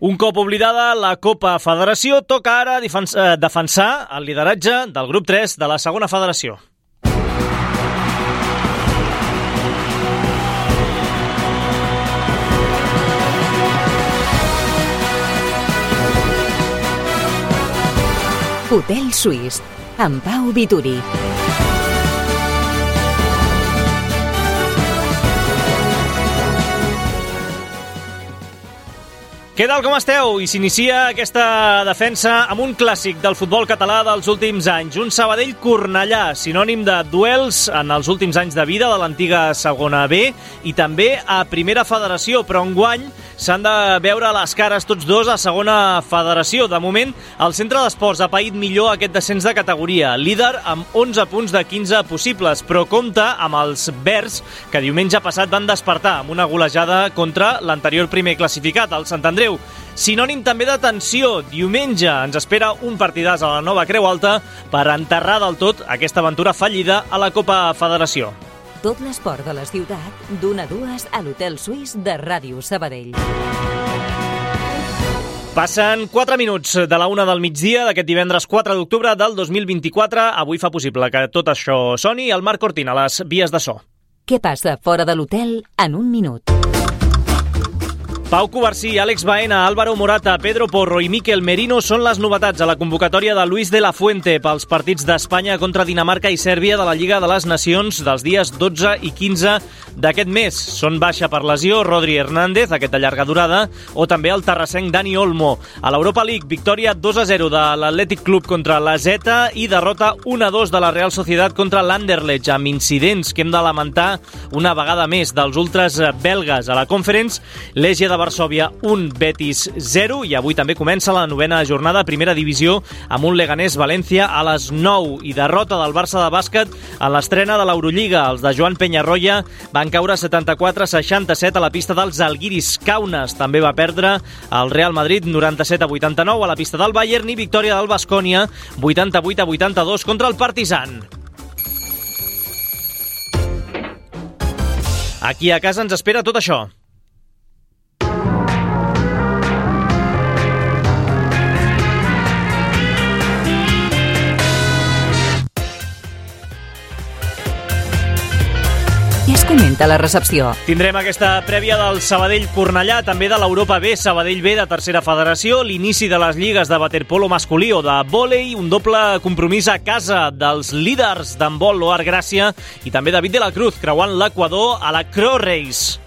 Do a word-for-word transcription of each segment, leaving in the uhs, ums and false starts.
Un cop oblidada la Copa Federació, toca ara defensar el lideratge del grup tres de la segona federació. Hotel Suís, amb Pau Vituri. Què tal, com esteu? I s'inicia aquesta defensa amb un clàssic del futbol català dels últims anys. Un Sabadell-Cornellà, sinònim de duels en els últims anys de vida de l'antiga segona B i també a primera federació, però enguany s'han de veure les cares tots dos a segona federació. De moment, el Centre d'Esports ha paït millor aquest descens de categoria, líder amb onze punts de quinze possibles, però compta amb els verds, que diumenge passat van despertar amb una golejada contra l'anterior primer classificat, el Sant Andreu. Sinònim també de tensió. Diumenge ens espera un partidàs a la Nova Creu Alta per enterrar del tot aquesta aventura fallida a la Copa Federació. Tot l'esport de la ciutat, d'una a dues a l'Hotel Suís de Ràdio Sabadell. Passen quatre minuts de la una del migdia d'aquest divendres quatre d'octubre del dos mil vint-i-quatre. Avui fa possible que tot això soni el Marc Cortina a les vies de so. Què passa fora de l'hotel en un minut? Pau Covarsí, Àlex Baena, Álvaro Morata, Pedro Porro i Miquel Merino són les novetats a la convocatòria de Luis de la Fuente pels partits d'Espanya contra Dinamarca i Sèrbia de la Lliga de les Nacions dels dies dotze i quinze d'aquest mes. Són baixa per lesió Rodri Hernández, aquest de llarga durada, o també el terrassenc Dani Olmo. A l'Europa League, victòria dos a zero de l'Atlètic Club contra la Zeta i derrota un a dos de la Real Sociedad contra l'Anderlecht, amb incidents que hem de lamentar una vegada més dels ultras belgues. A la Conference, l'Legia de Varsòvia un, Betis zero, i avui també comença la novena jornada a primera divisió amb un Leganés-València a les nou i derrota del Barça de bàsquet en l'estrena de l'Eurolliga. Els de Joan Peñarroya van caure setanta-quatre a seixanta-set a la pista dels Žalgiris. Kaunas també va perdre el Real Madrid noranta-set a vuitanta-nou a la pista del Bayern i victòria del Baskonia vuitanta-vuit a vuitanta-dos contra el Partizan. Aquí a casa ens espera tot això. Què es comenta a la recepció? Tindrem aquesta prèvia del Sabadell-Cornellà, també de l'Europa B, Sabadell B de tercera federació, l'inici de les lligues de waterpolo masculí o de vòlei, un doble compromís a casa dels líders d'handbol Loar Gràcia i també David de la Cruz creuant l'Equador a la Crow Race.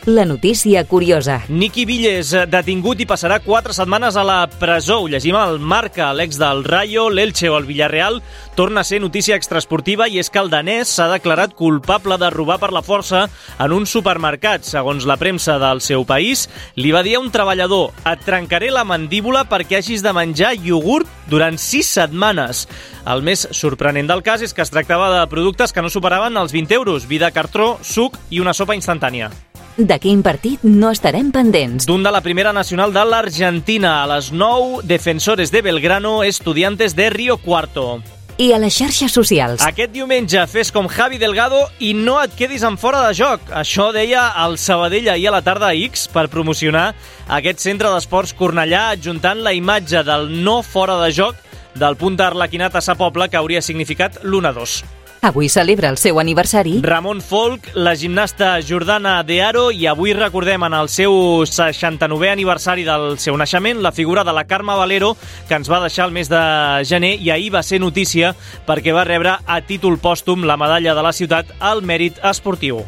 La notícia curiosa. Nicky Villes, detingut i passarà quatre setmanes a la presó. Ho llegim al Marca. L'ex del Rayo, l'Elche o el Villarreal torna a ser notícia extraesportiva i és que el danès s'ha declarat culpable de robar per la força en un supermercat. Segons la premsa del seu país, li va dir a un treballador: et trencaré la mandíbula perquè hagis de menjar iogurt durant sis setmanes. El més sorprenent del cas és que es tractava de productes que no superaven els vint euros, vi de cartró, suc i una sopa instantània. De quin partit no estarem pendents? D'un de la primera nacional de l'Argentina. A les nou, Defensores de Belgrano, Estudiantes de Río Cuarto. I a les xarxes socials. Aquest diumenge fes com Javi Delgado i no et quedis en fora de joc. Això deia el Sabadell ahir a la tarda a X per promocionar aquest centre d'esports Cornellà, adjuntant la imatge del no fora de joc del punt d'Arlequinat a Sa Pobla, que hauria significat l'u a dos. Avui celebra el seu aniversari Ramon Folk, la gimnasta Jordana De Aro, i avui recordem en el seu seixanta-novè aniversari del seu naixement la figura de la Carme Valero, que ens va deixar el mes de gener i ahir va ser notícia perquè va rebre a títol pòstum la medalla de la ciutat al mèrit esportiu.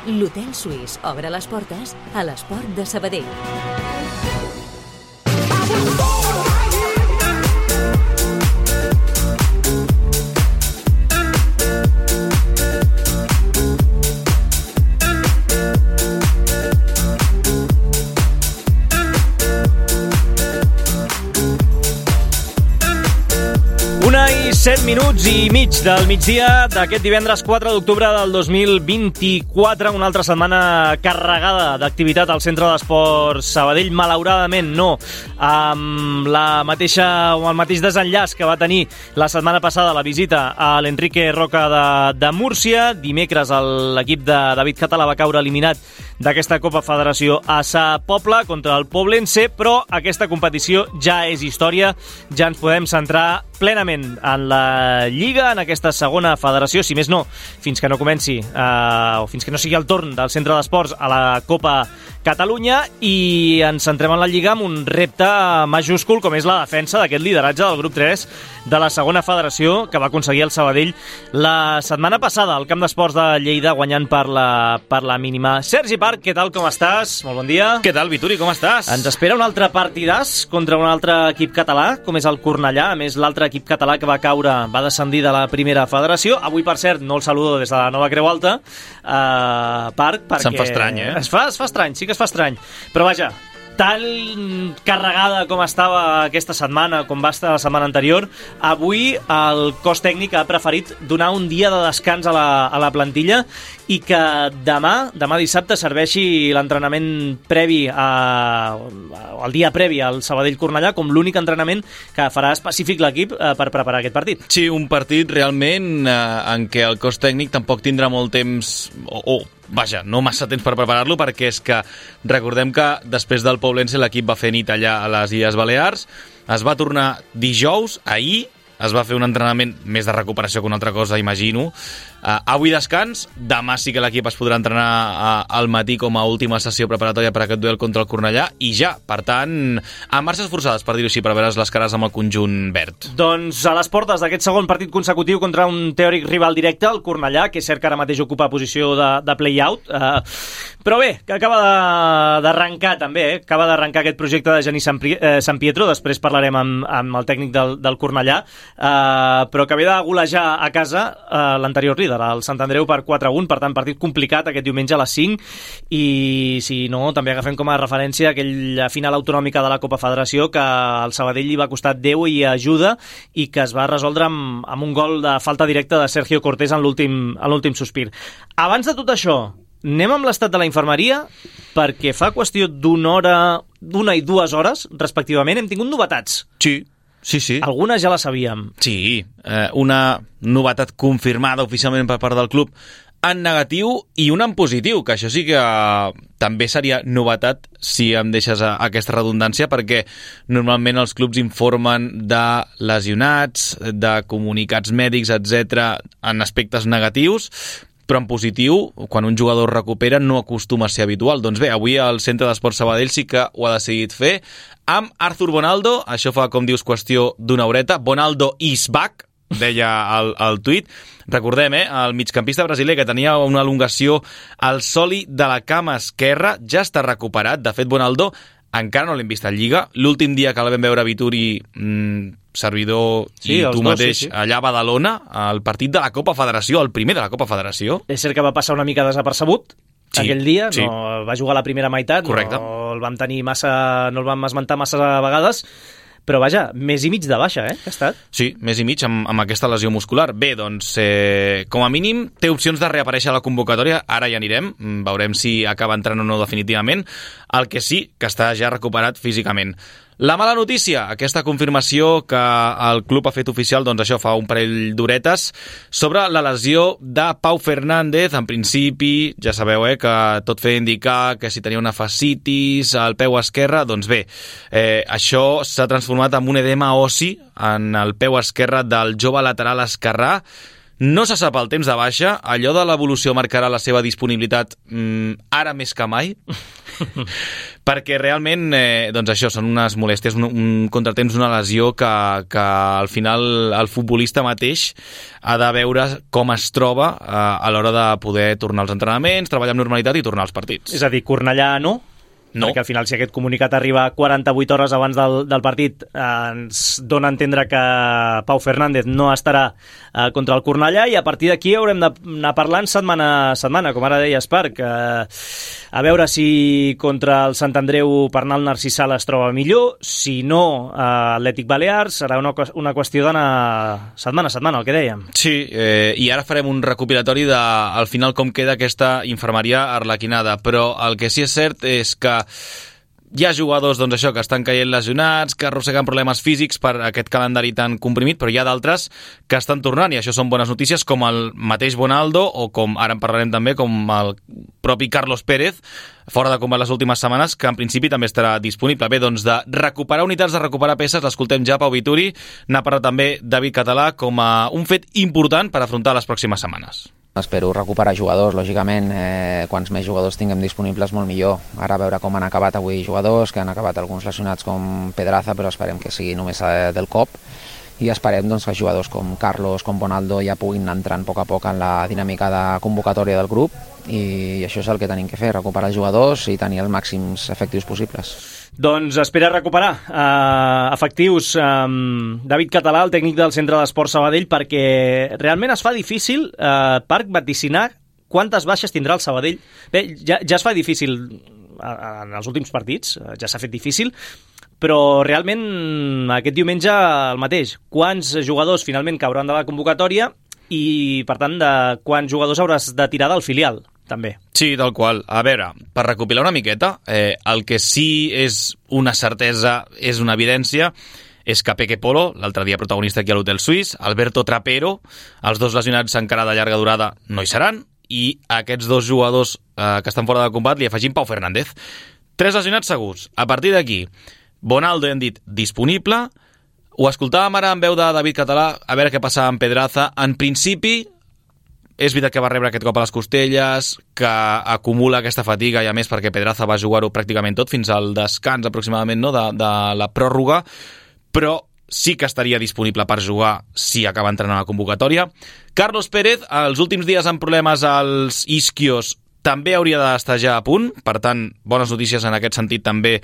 L'Hotel Suís obre les portes a l'esport de Sabadell. set minuts i mig del migdia d'aquest divendres quatre d'octubre del dos mil vint-i-quatre, una altra setmana carregada d'activitat al Centre d'Esports Sabadell, malauradament no amb la mateixa o el mateix desenllaç que va tenir la setmana passada la visita a l'Enrique Roca de, de Múrcia. Dimecres l'equip de David Català va caure eliminat d'aquesta Copa Federació a Sa Pobla contra el Poblense, però aquesta competició ja és història, ja ens podem centrar plenament en la Lliga, en aquesta segona federació, si més no, fins que no comenci eh, o fins que no sigui el torn del Centre d'Esports a la Copa Catalunya, i ens centrem en la Lliga amb un repte majúscul com és la defensa d'aquest lideratge del grup tres de la segona federació que va aconseguir el Sabadell la setmana passada al Camp d'Esports de Lleida, guanyant per la, per la mínima. Sergi Parc, què tal, com estàs? Molt bon dia. Què tal, Vituri, com estàs? Ens espera un altre partidàs contra un altre equip català, com és el Cornellà. A més, l'altre equip català que va caure va descendir de la primera federació. Avui, per cert, no el saludo des de la Nova Creu Alta, eh, Parc, perquè... Se'n fa estrany, eh? Es fa, es fa estrany, sí que es fa estrany. Però vaja, tan carregada com estava aquesta setmana, com va estar la setmana anterior, avui el cos tècnic ha preferit donar un dia de descans a la, a la plantilla i que demà, demà dissabte, serveixi l'entrenament previ a, el dia previ al Sabadell-Cornellà com l'únic entrenament que farà específic l'equip eh, per preparar aquest partit. Sí, un partit realment eh, en què el cos tècnic tampoc tindrà molt temps o, o vaja, no massa temps per preparar-lo, perquè és que recordem que després del Poblense l'equip va fer nit allà a les Illes Balears, es va tornar dijous, ahir es va fer un entrenament més de recuperació que una altra cosa, imagino. Uh, avui descans, demà sí que l'equip es podrà entrenar uh, al matí com a última sessió preparatòria per aquest duel contra el Cornellà i ja, per tant, a marxes forçades, per dir-ho així, per veure les cares amb el conjunt verd. Doncs a les portes d'aquest segon partit consecutiu contra un teòric rival directe, el Cornellà, que és cert que ara mateix ocupa posició de, de play-out, uh, però bé, que acaba d'arrencar també, eh? acaba d'arrencar aquest projecte de Genís Sant, eh, Sant Pietro, després parlarem amb, amb el tècnic del, del Cornellà, uh, però que ve de golejar a casa uh, l'anterior líder, el Sant Andreu, per quatre a un, per tant partit complicat aquest diumenge a les cinc, i si no, també agafem com a referència aquella final autonòmica de la Copa Federació que al Sabadell li va costar Déu i ajuda i que es va resoldre amb, amb un gol de falta directa de Sergio Cortés en l'últim en l'últim sospir. Abans de tot això, anem amb l'estat de la infermeria, perquè fa qüestió d'una hora, d'una i dues hores, respectivament, hem tingut novetats. Sí, sí, sí. Algunes ja les sabíem. Sí, eh, una novetat confirmada oficialment per part del club en negatiu i una en positiu, que això sí que també seria novetat si em deixes aquesta redundància, perquè normalment els clubs informen de lesionats, de comunicats mèdics, etcètera, en aspectes negatius, però en positiu, quan un jugador recupera, no acostuma a ser habitual. Doncs bé, avui el Centre d'Esports Sabadell sí que ho ha decidit fer amb Arthur Bonaldo. Això fa, com dius, qüestió d'una horeta. Bonaldo is back, deia el, el tuit. Recordem, eh, el migcampista brasiler que tenia una elongació al sòli de la cama esquerra ja està recuperat. De fet, Bonaldo encara no l'hem vist a Lliga. L'últim dia que la vam veure a Vituri, mmm, servidor sí, i tu dos, mateix, sí, sí. allà a Badalona, al partit de la Copa Federació, el primer de la Copa Federació. És cert que va passar una mica desapercebut sí, aquell dia, sí. no va jugar la primera meitat, correcte. No el vam tenir massa, no el vam esmentar massa vegades, però vaja, més i mig de baixa, eh, que ha estat. Sí, més i mig amb, amb aquesta lesió muscular. Bé, doncs, eh, com a mínim, té opcions de reaparèixer a la convocatòria, ara ja anirem, veurem si acaba entrant o no definitivament, el que sí, que està ja recuperat físicament. La mala notícia, aquesta confirmació que el club ha fet oficial, doncs això fa un parell d'horetes, sobre la lesió de Pau Fernández. En principi, ja sabeu eh, que tot feia indicar que si tenia una fascitis al peu esquerre, doncs bé, eh, això s'ha transformat en un edema ossi en el peu esquerre del jove lateral esquerrà. No se sap el temps de baixa, allò de l'evolució marcarà la seva disponibilitat mm, ara més que mai, perquè realment, eh, doncs això, són unes molèsties, un, un contratemps, una lesió que, que al final el futbolista mateix ha de veure com es troba eh, a l'hora de poder tornar als entrenaments, treballar amb normalitat i tornar als partits. És a dir, Cornellà no? No. Perquè al final, si aquest comunicat arriba quaranta-vuit hores abans del, del partit, eh, ens dona a entendre que Pau Fernández no estarà eh, contra el Cornellà, i a partir d'aquí haurem d'anar parlant setmana a setmana, com ara deia Esparc. Eh, a veure si contra el Sant Andreu Pernal Narcissal es troba millor, si no, eh, Atlètic Balears, serà una, una qüestió d'anar setmana a setmana, el que dèiem. Sí, eh, i ara farem un recopilatori de, al final, com queda aquesta infermeria arlequinada, però el que sí és cert és que hi ha jugadors, doncs això, que estan caient lesionats, que arrosseguen problemes físics per aquest calendari tan comprimit, però hi ha d'altres que estan tornant, i això són bones notícies, com el mateix Bonaldo, o com ara en parlarem també, com el propi Carlos Pérez, fora de combat les últimes setmanes, que en principi també estarà disponible. Bé, doncs de recuperar unitats, de recuperar peces, l'escoltem ja, Pau Vituri. N'ha parlat també David Català com a un fet important per afrontar les pròximes setmanes. Espero recuperar jugadors, lògicament, eh, quants més jugadors tinguem disponibles molt millor. Ara a veure com han acabat avui jugadors, que han acabat alguns lesionats com Pedraza, però esperem que sigui només eh, del cop, i esperem doncs, que jugadors com Carlos, com Bonaldo ja puguin entrar a poc a poc en la dinàmica de convocatòria del grup, i això és el que tenim que fer, recuperar jugadors i tenir els màxims efectius possibles. Doncs espera recuperar uh, efectius um, David Català, el tècnic del Centre d'Esport Sabadell, perquè realment es fa difícil, uh, Parc, vaticinar quantes baixes tindrà el Sabadell. Bé, ja, ja es fa difícil en els últims partits, ja s'ha fet difícil, però realment aquest diumenge el mateix. Quants jugadors finalment cauran de la convocatòria i, per tant, de quants jugadors hauràs de tirar del filial, també. Sí, tal qual. A veure, per recopilar una miqueta, eh, el que sí és una certesa, és una evidència, és que Peque Polo, l'altre dia protagonista aquí a l'Hotel Suís, Alberto Trapero, els dos lesionats encara de llarga durada no hi seran, i aquests dos jugadors eh, que estan fora de combat li afegim Pau Fernández. Tres lesionats segurs. A partir d'aquí, Bonaldo, hem dit, disponible. Ho escoltàvem ara en veu de David Català, a veure què passava amb Pedraza. En principi, és veritat que va rebre aquest cop a les costelles, que acumula aquesta fatiga, i a més perquè Pedraza va jugar-ho pràcticament tot fins al descans aproximadament, no?, de, de la pròrroga, però sí que estaria disponible per jugar si acaba entrant a la convocatòria. Carlos Pérez, els últims dies amb problemes als isquios, també hauria d'estar ja a punt, per tant, bones notícies en aquest sentit també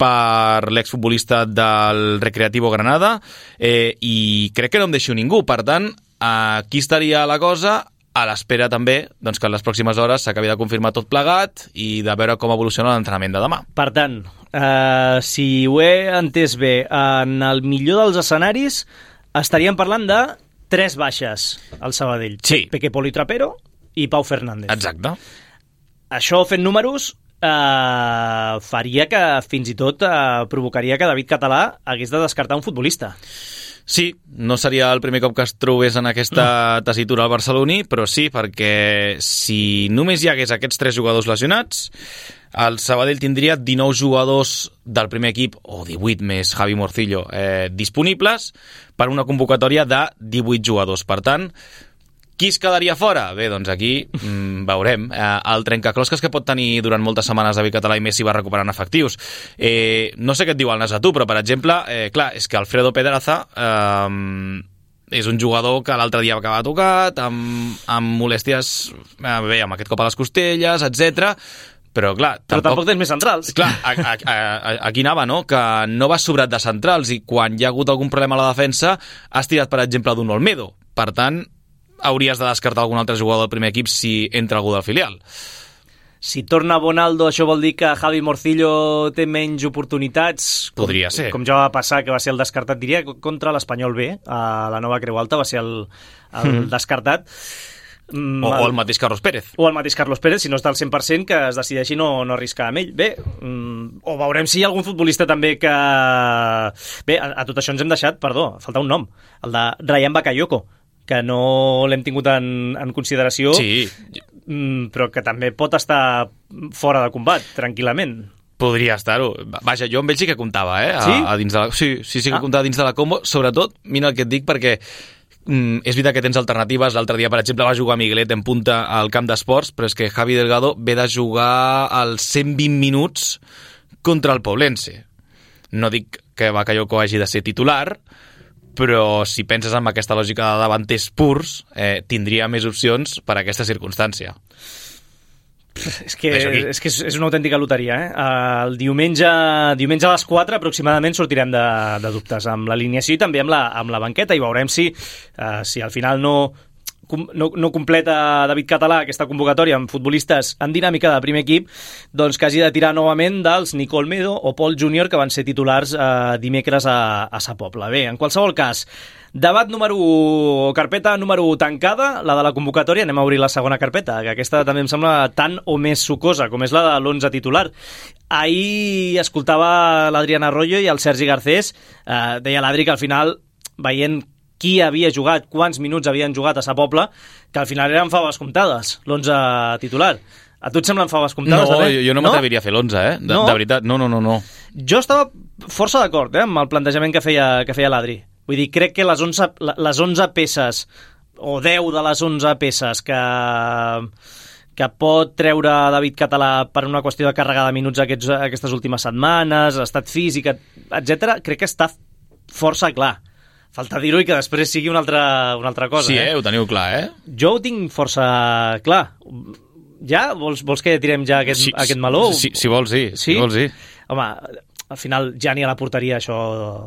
per l'exfutbolista del Recreativo Granada, eh, i crec que no em deixo ningú, per tant, aquí estaria la cosa, a l'espera també doncs, que en les pròximes hores s'acabi de confirmar tot plegat i de veure com evoluciona l'entrenament de demà. Per tant, eh, si ho he entès bé, en el millor dels escenaris estaríem parlant de tres baixes al Sabadell. Sí. Peque Polo i Trapero i Pau Fernández. Exacte. Això, fent números, eh, faria que fins i tot eh, provocaria que David Català hagués de descartar un futbolista. Sí, no seria el primer cop que es trobés en aquesta tessitura al barceloní, però sí, perquè si només hi hagués aquests tres jugadors lesionats, el Sabadell tindria dinou jugadors del primer equip, o divuit més Javi Morcillo, eh, disponibles per una convocatòria de divuit jugadors. Per tant, qui es quedaria fora? Bé, doncs aquí mm, veurem. Eh, el trencaclosques que pot tenir durant moltes setmanes David Català i Messi va recuperant efectius. Eh, no sé què et diu el nas a tu, però, per exemple, eh, clar, és que Alfredo Pedraza eh, és un jugador que l'altre dia va acabar tocat, amb, amb molèsties, eh, bé, amb aquest cop a les costelles, etcètera. Però, clar, tampoc... Però tampoc tens més centrals. Clar, a, a, a, aquí anava, no?, que no va sobrat de centrals, i quan hi ha hagut algun problema a la defensa has tirat, per exemple, d'un Olmedo. Per tant, hauries de descartar algun altre jugador del primer equip si entra algú del filial. Si torna Bonaldo, això vol dir que Javi Morcillo té menys oportunitats? Podria com, ser. Com ja va passar, que va ser el descartat, diria, contra l'Espanyol B, a la Nova Creu Alta, va ser el, el mm. descartat. Mm, o, o el mateix Carlos Pérez. O el mateix Carlos Pérez, si no està al cent per cent, que es decideixi no, no arriscar amb ell. Bé, mm, o veurem si hi ha algun futbolista també que... Bé, a, a tot això ens hem deixat, perdó, falta un nom, el de Ryan Bakayoko, que no l'hem tingut en, en consideració, sí, però que també pot estar fora de combat, tranquil·lament. Podria estar-ho. Vaja, jo amb ell sí que comptava, eh? A, sí? A dins de la, sí, sí, sí que ah. comptava dins de la combo. Sobretot, mira el que et dic, perquè mm, és veritat que tens alternatives. L'altre dia, per exemple, va jugar Miguelet en punta al camp d'esports, però és que Javi Delgado ve de jugar als cent vint minuts contra el Poblense. No dic que Bakayoko hagi de ser titular, però si penses en aquesta lògica de davanters purs, eh, tindria més opcions per a aquesta circumstància. És que, és, que és una autèntica loteria, eh? El diumenge, diumenge a les quatre aproximadament sortirem de, de dubtes amb l'alineació i també amb la, amb la banqueta i veurem si, uh, si al final no, no, no completa David Català aquesta convocatòria amb futbolistes en dinàmica de primer equip, doncs que hagi de tirar novament dels Nico Olmedo o Pol Júnior que van ser titulars uh, dimecres a, a Sa Pobla. Bé, en qualsevol cas, debat número u, carpeta número u tancada, la de la convocatòria. Anem a obrir la segona carpeta, que aquesta també em sembla tan o més sucosa, com és la de l'onze titular. Ahir escoltava l'Adrián Arroyo i el Sergi Garcés, eh, deia l'Adri que al final, veient qui havia jugat, quants minuts havien jugat a Sa Pobla, que al final eren faves comptades, l'onze titular. A tu et semblen faves comptades? No, també? jo, jo no, no? m'atreviria a fer l'onze, eh? De, no? de veritat, no, no, no, no. Jo estava força d'acord eh, amb el plantejament que feia, que feia l'Adri. Vull dir, crec que les onze, les onze peces, o deu de les onze peces que, que pot treure David Català per una qüestió de càrrega de minuts aquests, aquestes últimes setmanes, estat físic, etcètera, crec que està força clar. Falta dir-ho i que després sigui una altra, una altra cosa. Sí, eh? eh? Ho teniu clar, eh? Jo ho tinc força clar. Ja? Vols, vols que tirem ja aquest, sí, aquest meló? Sí, si vols, sí. Sí? Si vols, sí. Home, al final ja n'hi ha la porteria, això...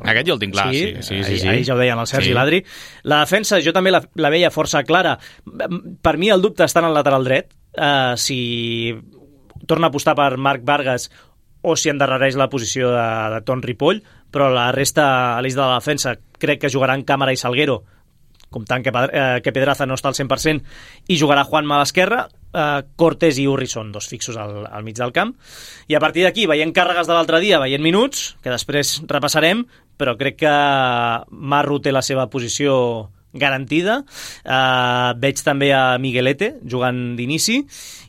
Aquest jo el tinc clar, sí. sí, sí, sí, sí. Ahir ja ho deien el Sergi sí. i l'Adri. La defensa jo també la, la veia força clara. Per mi el dubte està en el lateral dret. Uh, si torna a apostar per Marc Vargas o si endarrereix la posició de, de Ton Ripoll, però la resta, a l'eix de la defensa, crec que jugaran Càmara i Salguero, comptant que, eh, que Pedraza no està al cent per cent, i jugarà Juanma a l'esquerra, eh, Cortés i Urri són dos fixos al, al mig del camp, i a partir d'aquí, veient càrregues de l'altre dia, veient minuts, que després repassarem, però crec que Marro té la seva posició garantida. Uh, veig també a Miguelete jugant d'inici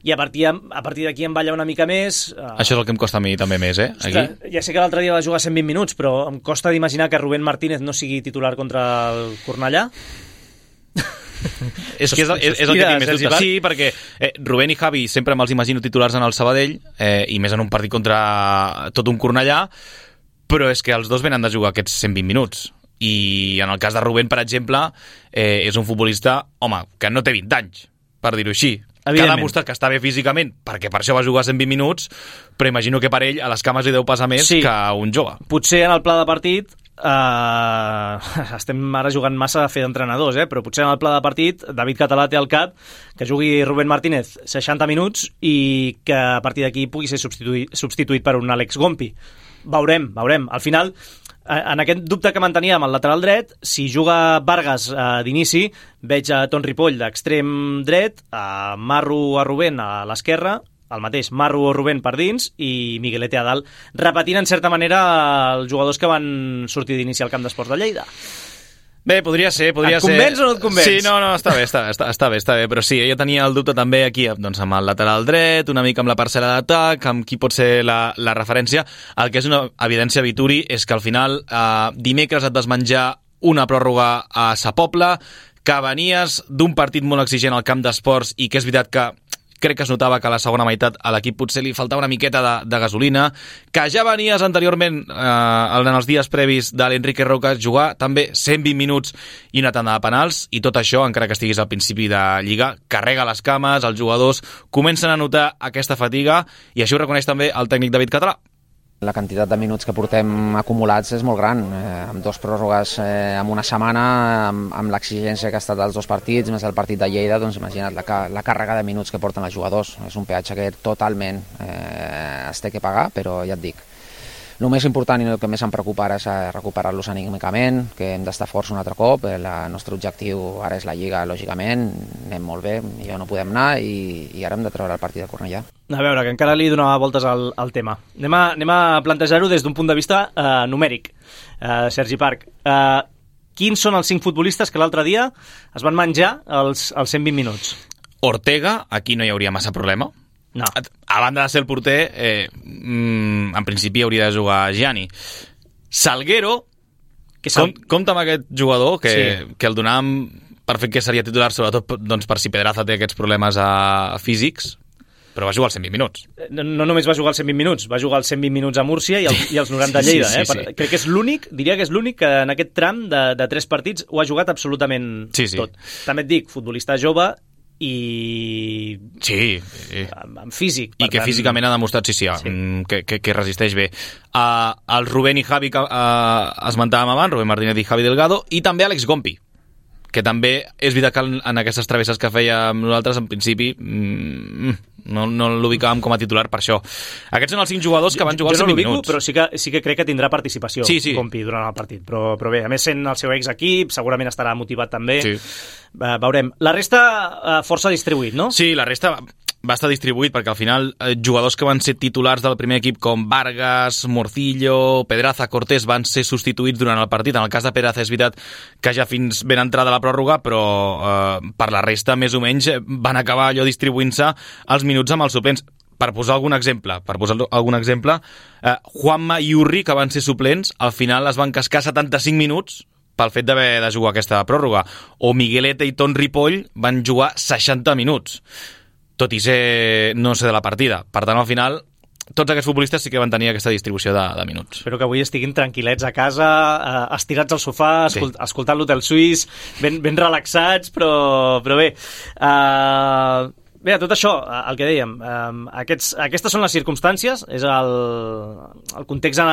i a partir, a partir d'aquí em balla una mica més. Uh, Això és el que em costa a mi també més, eh? Aquí. Ostres, ja sé que l'altre dia va jugar cent vint minuts, però em costa d'imaginar que Rubén Martínez no sigui titular contra el Cornellà. és que és, és, és el que tinc més dubte. Sí, perquè eh, Rubén i Javi sempre me'ls imagino titulars en el Sabadell, eh, i més en un partit contra tot un Cornellà, però és que els dos venen de jugar aquests cent vint minuts. I en el cas de Rubén, per exemple, eh, és un futbolista, home, que no té vint anys, per dir-ho així, que ha demostrat que està bé físicament, perquè per això va jugar cent vint minuts, però imagino que per ell a les cames li deu passar més sí. que un jove. Potser en el pla de partit, eh, estem ara jugant massa a fer d'entrenadors, eh? Però potser en el pla de partit David Català té al cap que jugui Rubén Martínez seixanta minuts i que a partir d'aquí pugui ser substituït, substituït per un Àlex Gompi. Veurem, veurem. Al final, en aquest dubte que mantenia amb el lateral dret, si juga Vargas eh, d'inici, veig a Ton Ripoll d'extrem dret, a Marro a Rubén a l'esquerra, el mateix Marro o Rubén per dins i Miguelete a dalt, repetint en certa manera els jugadors que van sortir d'inici al camp d'esports de Lleida. Bé, podria ser, podria ser... Et convenç o no et convenç? Sí, no, no, està bé, està, està, està bé, està bé, però sí, jo tenia el dubte també aquí, doncs amb el lateral dret, una mica amb la parcel·la d'atac, amb qui pot ser la, la referència. El que és una evidència, Vituri, és que al final eh, dimecres et vas menjar una pròrroga a Sa Pobla, que venies d'un partit molt exigent al camp d'esports i que és veritat que crec que es notava que a la segona meitat a l'equip potser li faltava una miqueta de, de gasolina, que ja venies anteriorment eh, en els dies previs de l'Enrique Roca jugar també cent vint minuts i una tanda de penals, i tot això, encara que estiguis al principi de Lliga, carrega les cames, els jugadors comencen a notar aquesta fatiga, i això ho reconeix també el tècnic David Català. La quantitat de minuts que portem acumulats és molt gran, eh, amb dos pròrrogues eh, en una setmana, amb, amb l'exigència que ha estat dels dos partits, més el partit de Lleida, doncs imagina't la, la càrrega de minuts que porten els jugadors. És un peatge que totalment eh, es té que pagar, però ja et dic, el més important i el que més em preocupa ara és recuperar-los anímicament, que hem d'estar forts un altre cop. El nostre objectiu ara és la Lliga, lògicament, anem molt bé, ja no podem anar, i, i ara hem de treure el partit de Cornellà. A veure, que encara li donava voltes al, al tema. Anem a, anem a plantejar-ho des d'un punt de vista eh, numèric. Eh, Sergi Parc, eh, quins són els cinc futbolistes que l'altre dia es van menjar els, els cent vint minuts? Ortega, aquí no hi hauria massa problema. No. A banda de ser el porter, eh, mm, en principi hauria de jugar Gianni. Salguero, que sal... com, compta amb aquest jugador, que, sí. que el donàvem per fet que seria titular, sobretot doncs, per si Pedraza té aquests problemes a, a físics, però va jugar els cent vint minuts. No, no només va jugar els cent vint minuts, va jugar els cent vint minuts a Múrcia i, el, i els noranta a Lleida. Sí, sí, sí, eh? sí. Crec que és l'únic, diria que és l'únic que en aquest tram de, de tres partits ho ha jugat absolutament sí, sí. tot. També et dic, futbolista jove, i sí, sí. en físic. I que tant... físicament ha demostrat, sí, sí, sí. Que, que, que resisteix bé. Uh, el Rubén i Javi que uh, esmentàvem abans, Rubén Martínez i Javi Delgado, i també Àlex Gompi, que també és veritat que en aquestes travesses que fèiem nosaltres, en principi, mm, no, no l'ubicàvem com a titular per això. Aquests són els cinc jugadors que van jugar els vint no minuts. Però sí que, sí que crec que tindrà participació, sí, sí. Gompi, durant el partit. Però, però bé, a més, sent el seu ex-equip, segurament estarà motivat també. Sí. Uh, veurem. La resta, uh, força distribuït, no? Sí, la resta va estar distribuït perquè al final eh, jugadors que van ser titulars del primer equip com Vargas, Morcillo, Pedraza, Cortés van ser substituïts durant el partit. En el cas de Pedraza és veritat que ja fins ben entrada la pròrroga, però eh, per la resta més o menys van acabar allò distribuint-se els minuts amb els suplents. Per posar algun exemple, per posar algun exemple, eh, Juanma i Urri, que van ser suplents, al final es van cascar setanta-cinc minuts pel fet d'haver de jugar aquesta pròrroga. O Miguelete i Ton Ripoll van jugar seixanta minuts. Tot i ser no ser de la partida. Per tant, al final, tots aquests futbolistes sí que van tenir aquesta distribució de, de minuts. Espero que avui estiguin tranquil·lets a casa, eh, estirats al sofà, escolt, sí. escoltant l'Hotel Suís, ben, ben relaxats, però, però bé... Eh, bé, tot això, el que dèiem, eh, aquests, aquestes són les circumstàncies, és el, el context en,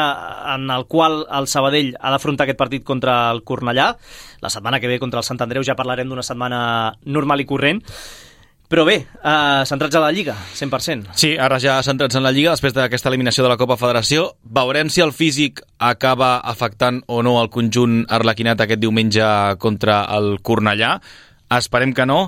en el qual el Sabadell ha d'afrontar aquest partit contra el Cornellà. La setmana que ve contra el Sant Andreu ja parlarem d'una setmana normal i corrent. Però bé, eh, centrats a la Lliga, cent per cent. Sí, ara ja centrats en la Lliga, després d'aquesta eliminació de la Copa Federació. Veurem si el físic acaba afectant o no el conjunt arlequinat aquest diumenge contra el Cornellà. Esperem que no.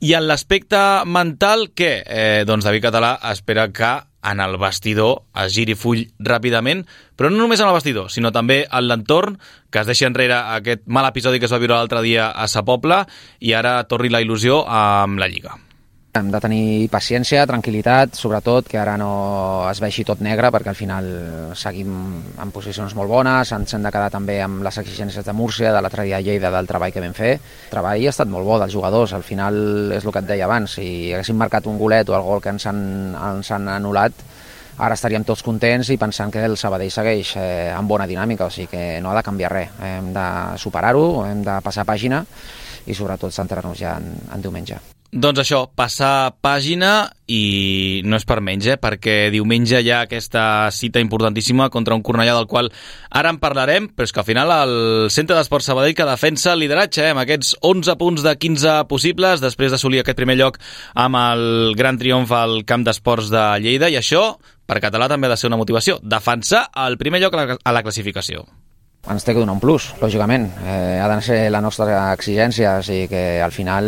I en l'aspecte mental, què? Eh, doncs David Català espera que en el vestidor es giri full ràpidament, però no només en el vestidor, sinó també en l'entorn, que es deixi enrere aquest mal episodi que es va viure l'altre dia a Sa Pobla i ara torni la il·lusió amb la Lliga. Hem de tenir paciència, tranquil·litat, sobretot que ara no es vegi tot negre, perquè al final seguim en posicions molt bones, ens hem de quedar també amb les exigències de Múrcia, de l'altre dia a Lleida, del treball que vam fer. El treball ha estat molt bo dels jugadors, al final és el que et deia abans, si haguéssim marcat un golet o el gol que ens han, ens han anul·lat, ara estaríem tots contents i pensant que el Sabadell segueix eh, amb bona dinàmica, o sigui que no ha de canviar res, hem de superar-ho, hem de passar pàgina i sobretot centrar-nos ja en, en diumenge. Doncs això, passar pàgina i no és per menys, eh? Perquè diumenge hi ha aquesta cita importantíssima contra un Cornellà del qual ara en parlarem, però és que al final el Centre d'Esports Sabadell que defensa el lideratge, eh? Amb aquests onze punts de quinze possibles després d'assolir aquest primer lloc amb el gran triomf al Camp d'Esports de Lleida, i això per Català també ha de ser una motivació, defensar el primer lloc a la, a la classificació. Ens té que donar un plus, lògicament. Eh, ha de ser la nostra exigència, o sigui que al final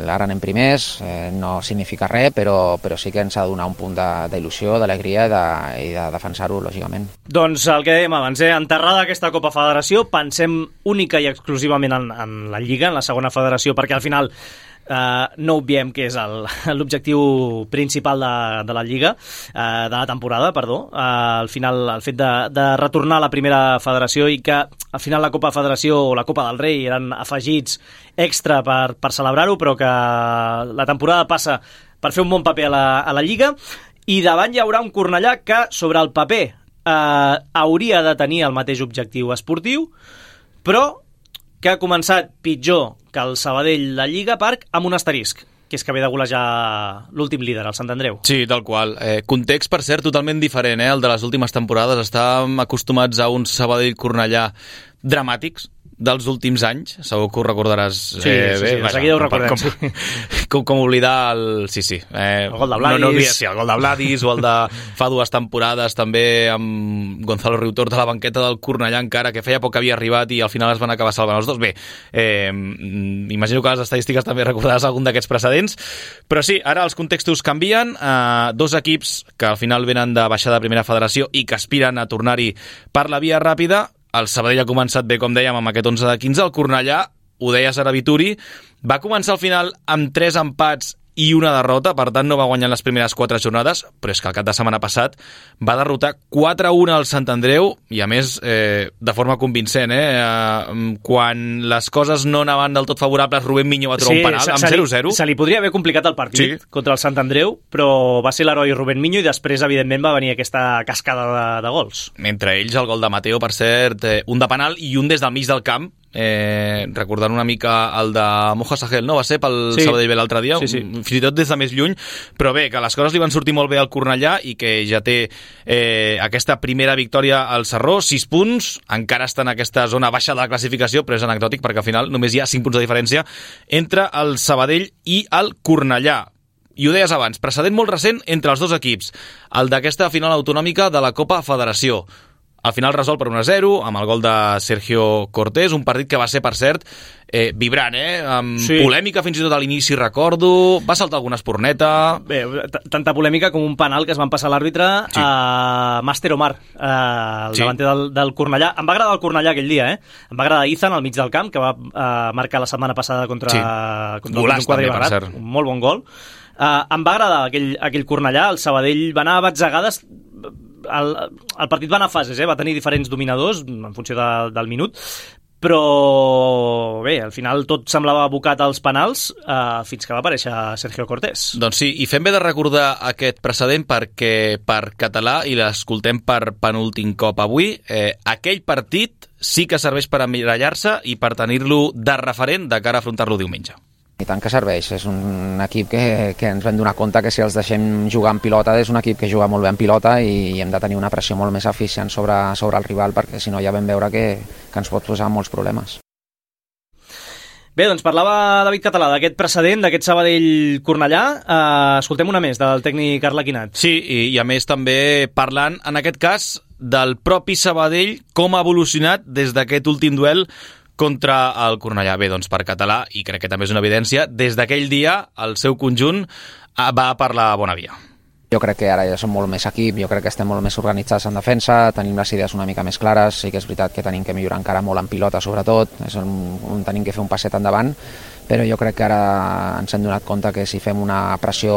ara anem primers, eh, no significa res, però, però sí que ens ha de donar un punt d'il·lusió, d'alegria i de, i de defensar-ho, lògicament. Doncs el que dèiem abans, eh? Enterrada aquesta Copa Federació, pensem única i exclusivament en, en la Lliga, en la segona federació, perquè al final Uh, no obviem que és l'objectiu principal de, de la Lliga, uh, de la temporada, perdó. Uh, al final, el fet de, de retornar a la primera federació i que al final la Copa Federació o la Copa del Rei eren afegits extra per, per celebrar-ho, però que la temporada passa per fer un bon paper a la, a la Lliga, i davant hi haurà un Cornellà que sobre el paper uh, hauria de tenir el mateix objectiu esportiu, però que ha començat pitjor que el Sabadell la Lliga Parc amb un asterisc, que és que ve de golejar l'últim líder, el Sant Andreu. Sí, tal qual. Eh, context, per cert, totalment diferent, eh? El de les últimes temporades. Estàvem acostumats a uns Sabadell-Cornellà dramàtics dels últims anys, segur que ho recordaràs. Sí, eh, sí, bé, sí, de seguida ho recordem. Com, sí. com, com oblidar el... Sí, sí. Eh, el gol de Vladis. No, no oblidar, sí, el gol de Vladis, o el de fa dues temporades també amb Gonzalo Riutor de la banqueta del Cornellà encara, que feia poc que havia arribat i al final es van acabar salvant els dos. Bé, eh, imagino que les estadístiques també recordaràs algun d'aquests precedents, però sí, ara els contextos canvien. Eh, dos equips que al final venen de baixar de primera federació i que aspiren a tornar-hi per la via ràpida. El Sabadell ha començat bé, com dèiem, amb aquest onze de quinze. El Cornellà, ho deia Sara Vituri, va començar al final amb tres empats i una derrota, per tant no va guanyar les primeres quatre jornades, però és que el cap de setmana passat va derrotar quatre a un al Sant Andreu, i a més eh, de forma convincent, eh? eh? Quan les coses no anaven del tot favorables, Rubén Miño va trobar sí, un penal amb zero zero. Se li podria haver complicat el partit sí. contra el Sant Andreu, però va ser l'heroi Rubén Miño i després, evidentment, va venir aquesta cascada de, de gols. Mentre ells, el gol de Mateo, per cert, eh, un de penal i un des del mig del camp, eh, recordant una mica el de Moja Sahel, no? Va ser pel sí. Sabadell B l'altre dia, sí, sí. fins i tot des de més lluny, però bé, que les coses li van sortir molt bé al Cornellà i que ja té eh, aquesta primera victòria al Sarró, sis punts, encara està en aquesta zona baixa de la classificació, però és anecdòtic perquè al final només hi ha cinc punts de diferència entre el Sabadell i el Cornellà. I ho deies abans, precedent molt recent entre els dos equips, el d'aquesta final autonòmica de la Copa Federació. Al final resol per un a zero, amb el gol de Sergio Cortés, un partit que va ser, per cert, eh, vibrant, eh? Amb sí. polèmica fins i tot a l'inici, recordo, va saltar alguna esporneta... Bé, tanta polèmica com un penal que es van passar l'àrbitre sí. a Master Omar, eh, el sí. davanter del, del Cornellà. Em va agradar el Cornellà aquell dia, eh? Em va agradar Izan al mig del camp, que va eh, marcar la setmana passada contra, sí. contra Golàs, el Quadribarrat, un molt bon gol. Uh, em va agradar aquell, aquell Cornellà, el Sabadell va anar a batzegades, el, el partit va anar a fases, eh? Va tenir diferents dominadors en funció de, del minut, però bé, al final tot semblava abocat als penals uh, fins que va aparèixer Sergio Cortés. Doncs sí, i fem bé de recordar aquest precedent perquè per català, i l'escoltem per penúltim cop avui, eh, aquell partit sí que serveix per emmirallar-se i per tenir-lo de referent de cara a afrontar-lo diumenge. I tant que serveix, és un equip que, que ens vam donar compte que si els deixem jugar en pilota és un equip que juga molt bé en pilota i hem de tenir una pressió molt més eficient sobre, sobre el rival perquè si no ja vam veure que, que ens pot posar molts problemes. Bé, doncs parlava David Català d'aquest precedent, d'aquest Sabadell-Cornellà. Uh, escoltem una més del tècnic Arlequinat. Sí, i, i a més també parlant, en aquest cas, del propi Sabadell, com ha evolucionat des d'aquest últim duel contra el Cornellà. Bé, doncs per català, i crec que també és una evidència, des d'aquell dia el seu conjunt va per la bona via. Jo crec que ara ja som molt més equip, jo crec que estem molt més organitzats en defensa, tenim les idees una mica més clares, sí que és veritat que tenim que millorar encara molt en pilota sobretot, és on, on tenim que fer un passet endavant, però jo crec que ara ens hem donat compte que si fem una pressió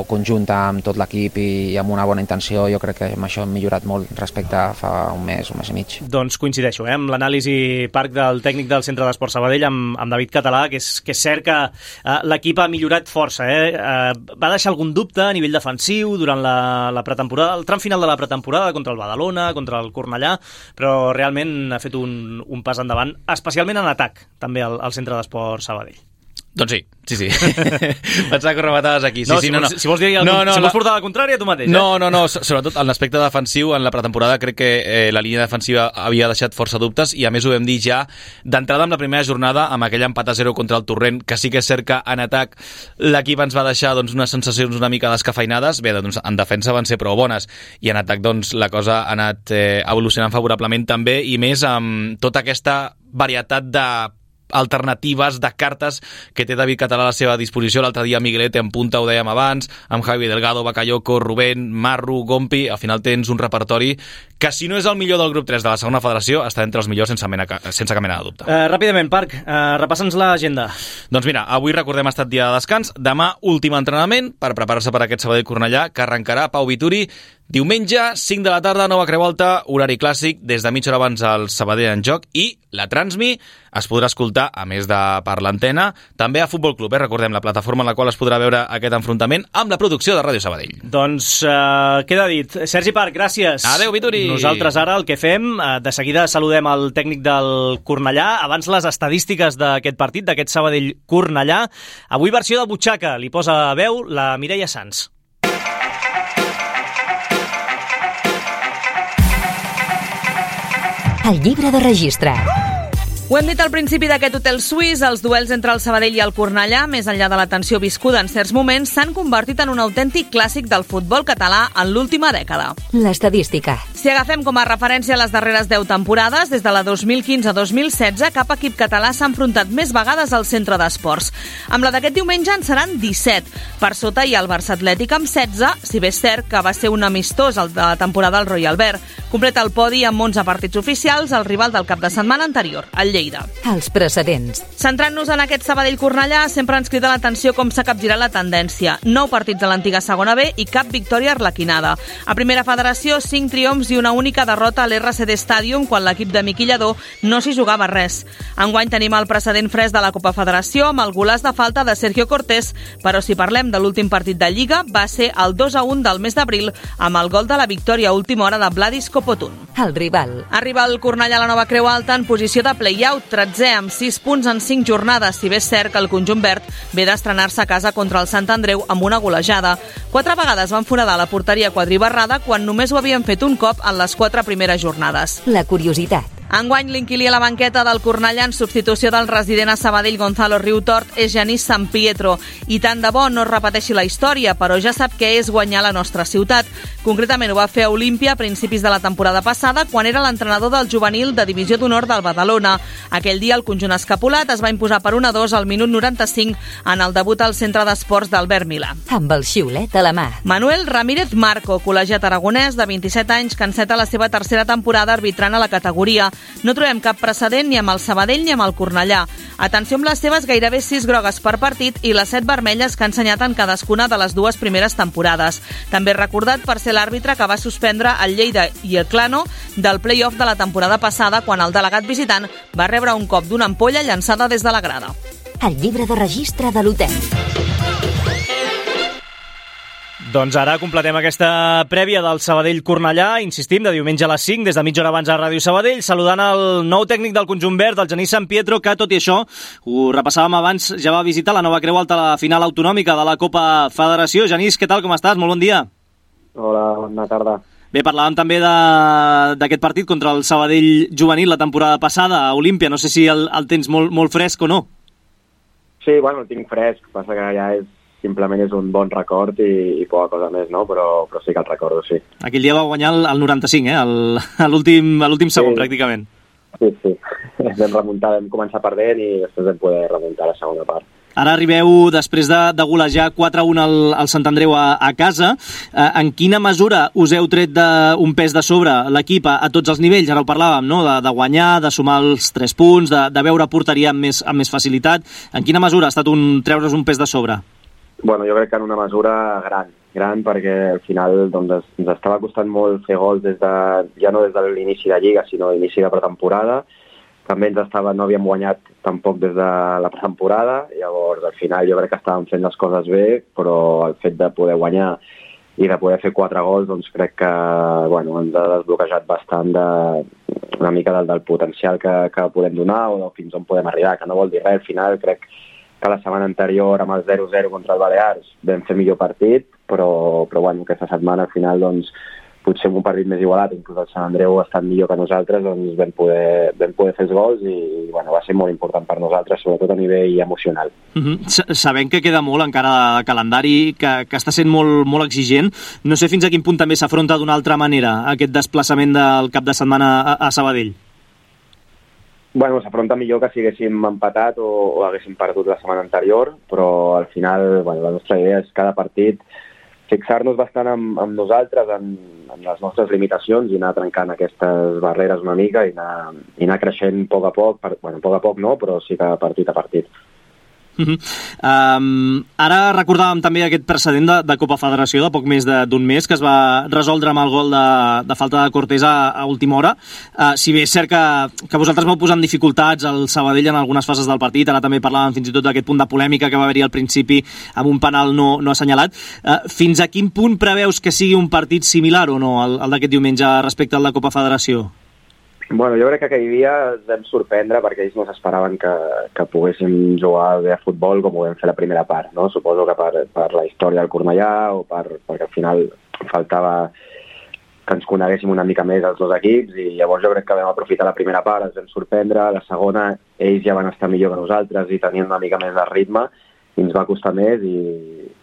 conjunta amb tot l'equip i amb una bona intenció, jo crec que amb això hem millorat molt respecte a fa un mes, un mes i mig. Doncs coincideixo, eh, amb l'anàlisi Parc del tècnic del Centre d'Esport Sabadell, amb, amb David Català, que és, que és cert que eh, l'equip ha millorat força. Eh? Eh, va deixar algun dubte a nivell defensiu durant la, la pretemporada, el tram final de la pretemporada contra el Badalona, contra el Cornellà, però realment ha fet un, un pas endavant, especialment en atac, també al, al Centre d'Esport Sabadell. Doncs sí, sí, sí. Pensava que remataves aquí. Sí, no, sí, si, no, vols, no. si vols dir el, no, no, si la... vols portar la contrària, tu mateix. No, eh? no, no, sobretot en l'aspecte defensiu, en la pretemporada crec que eh, la línia defensiva havia deixat força dubtes i a més ho vam dir ja d'entrada amb la primera jornada, amb aquell empat a zero contra el Torrent, que sí que és cert que en atac l'equip ens va deixar doncs, unes sensacions una mica descafeinades. Bé, doncs en defensa van ser prou bones i en atac doncs la cosa ha anat eh, evolucionant favorablement també i més amb tota aquesta varietat de alternatives de cartes que té David Català a la seva disposició. L'altre dia Miguelete en punta, ho dèiem abans, amb Javi Delgado, Bakayoko, Rubén, Marru, Gompi. Al final tens un repertori que si no és el millor del grup tres de la segona federació està entre els millors sense, mena, sense cap mena de dubte. Uh, ràpidament, Parc, uh, repassa'ns l'agenda. Doncs mira, avui recordem ha estat dia de descans, demà últim entrenament per preparar-se per aquest Sabadell Cornellà que arrencarà Pau Vituri diumenge, cinc de la tarda, Nova Creu Alta, horari clàssic, des de mitja hora abans al Sabadell en joc i la Transmi es podrà escoltar, a més de per l'antena, també a Futbol Club, eh? Recordem, la plataforma en la qual es podrà veure aquest enfrontament amb la producció de Ràdio Sabadell. Doncs uh, queda dit. Sergi Parc, gràcies. Adéu, Vituri. Nosaltres ara el que fem, uh, de seguida saludem el tècnic del Cornellà, abans les estadístiques d'aquest partit, d'aquest Sabadell Cornellà. Avui versió de butxaca, li posa veu la Mireia Sans. El llibre de registre. Ho hem dit al principi d'aquest hotel suís, els duels entre el Sabadell i el Cornellà, més enllà de la tensió viscuda en certs moments, s'han convertit en un autèntic clàssic del futbol català en l'última dècada. L'estadística. Si agafem com a referència les darreres deu temporades, des de la dos mil quinze a dos mil setze, cap equip català s'ha enfrontat més vegades al centre d'esports. Amb la d'aquest diumenge en seran disset. Per sota hi ha el Barça Atlètic amb setze, si bé és cert que va ser un amistós el de la temporada al Royal Albert. Completa el podi amb onze partits oficials, el rival del cap de setmana anterior, el Lleida. Els precedents. Centrant-nos en aquest Sabadell-Cornellà, sempre ens crida l'atenció com s'ha capgirat la tendència. Nou partits a l'antiga segona B i cap victòria arlequinada. A primera federació, cinc triomfs i una única derrota a l'R C D Stadium quan l'equip de Miqui Lladó no s'hi jugava res. Enguany tenim el precedent fresc de la Copa Federació amb el golaç de falta de Sergio Cortés, però si parlem de l'últim partit de Lliga, va ser el dos a un del mes d'abril amb el gol de la victòria a última hora de Vladis Kopotun. El rival. Arriba el Cornellà a la Nova Creu Alta en posició de play Riau, tretzè amb sis punts en cinc jornades, si bé és cert que el conjunt verd ve d'estrenar-se a casa contra el Sant Andreu amb una golejada. Quatre vegades van foradar la porteria quadribarrada quan només ho havien fet un cop en les quatre primeres jornades. La curiositat. Enguany, l'inquilí a la banqueta del Cornellà en substitució del resident a Sabadell Gonzalo Riutort és Genís San Pietro. I tant de bo no es repeteixi la història, però ja sap què és guanyar la nostra ciutat. Concretament ho va fer a Olímpia a principis de la temporada passada, quan era l'entrenador del juvenil de Divisió d'Honor del Badalona. Aquell dia el conjunt escapulat es va imposar per un a dos al minut noranta-cinc en el debut al centre d'esports d'Albert Milà. Amb el xiulet a la mà. Manuel Ramírez Marco, col·legiat aragonès de vint-i-set anys, que enceta la seva tercera temporada arbitrant a la categoria. No trobem cap precedent ni amb el Sabadell ni amb el Cornellà. Atenció amb les seves gairebé sis grogues per partit i les set vermelles que ha ensenyat en cadascuna de les dues primeres temporades. També recordat per ser l'àrbitre que va suspendre el Lleida i el Clano del play-off de la temporada passada quan el delegat visitant va rebre un cop d'una ampolla llançada des de la grada. El llibre de registre de l'hotel. Doncs ara completem aquesta prèvia del Sabadell-Cornellà, insistim, de diumenge a les cinc, des de mitja hora abans a Ràdio Sabadell, saludant el nou tècnic del conjunt verd, el Genís San Pietro, que tot i això, ho repassàvem abans, ja va visitar la nova Creu Alta a la final autonòmica de la Copa Federació. Genís, què tal, com estàs? Molt bon dia. Hola, bona tarda. Bé, parlàvem també d'aquest partit contra el Sabadell juvenil la temporada passada a Olímpia. No sé si el, el tens molt, molt fresc o no. Sí, bueno, el tinc fresc, passa que ja és simplement és un bon record i, i poca cosa més, no? Però, però sí que el recordo, sí. Aquell dia va guanyar el, el noranta-cinc, eh? El, a l'últim sí. segon, pràcticament. Sí, sí. Vam remuntar, vam començar perdent i després vam poder remuntar la segona part. Ara arribeu després de, de golejar quatre a un al, al Sant Andreu a, a casa. Eh, en quina mesura us heu tret de, un pes de sobre l'equip a, a tots els nivells? Ara ho parlàvem, no? De, de guanyar, de sumar els tres punts, de, de veure porteria amb més, amb més facilitat. En quina mesura ha estat un, treure's un pes de sobre? Bueno, jo crec que en una mesura gran, gran perquè al final doncs, ens estava costant molt fer gols des de, ja no des de l'inici de Lliga, sinó l'inici de pretemporada. També ens estava, no havíem guanyat tampoc des de la pretemporada, llavors al final jo crec que estàvem fent les coses bé, però el fet de poder guanyar i de poder fer quatre gols, doncs crec que bueno, ens ha desbloquejat bastant de, una mica del, del potencial que, que podem donar o fins on podem arribar, que no vol dir res. Al final crec que la setmana anterior amb el zero zero contra el Balears vam fer millor partit, però, però bueno, aquesta setmana al final doncs, potser amb un partit més igualat, inclús el Sant Andreu ha estat millor que nosaltres, doncs vam poder, vam poder fer els gols i bueno, va ser molt important per nosaltres, sobretot a nivell emocional. Uh-huh. Sabem que queda molt encara de calendari, que, que està sent molt, molt exigent. No sé fins a quin punt també s'afronta d'una altra manera aquest desplaçament del cap de setmana a, a Sabadell. Bueno, s'afronta millor que si haguéssim empatat o, o haguéssim perdut la setmana anterior, però al final bueno, la nostra idea és cada partit fixar-nos bastant amb, amb nosaltres, en, en les nostres limitacions i anar trencant aquestes barreres una mica i anar, i anar creixent a poc a poc, per, bueno, a poc a poc no, però sí que partit a partit. Uh-huh. Um, ara recordàvem també aquest precedent de, de Copa Federació de poc més d'un mes que es va resoldre amb el gol de, de falta de Cortés a, a última hora. Uh, si bé és cert que, que vosaltres vau posar en dificultats al Sabadell en algunes fases del partit, ara també parlàvem fins i tot d'aquest punt de polèmica que va haver-hi al principi amb un penal no, no assenyalat. Uh, fins a quin punt preveus que sigui un partit similar o no al, al d'aquest diumenge respecte al de Copa Federació? Bueno, jo crec que aquell dia ens vam sorprendre perquè ells no s'esperaven que, que poguéssim jugar bé a futbol com ho vam fer la primera part, no? Suposo que per, per la història del Cornellà o per, perquè al final faltava que ens coneguéssim una mica més els dos equips i llavors jo crec que vam aprofitar la primera part, ens vam sorprendre, la segona ells ja van estar millor que nosaltres i tenien una mica més de ritme i ens va costar més i,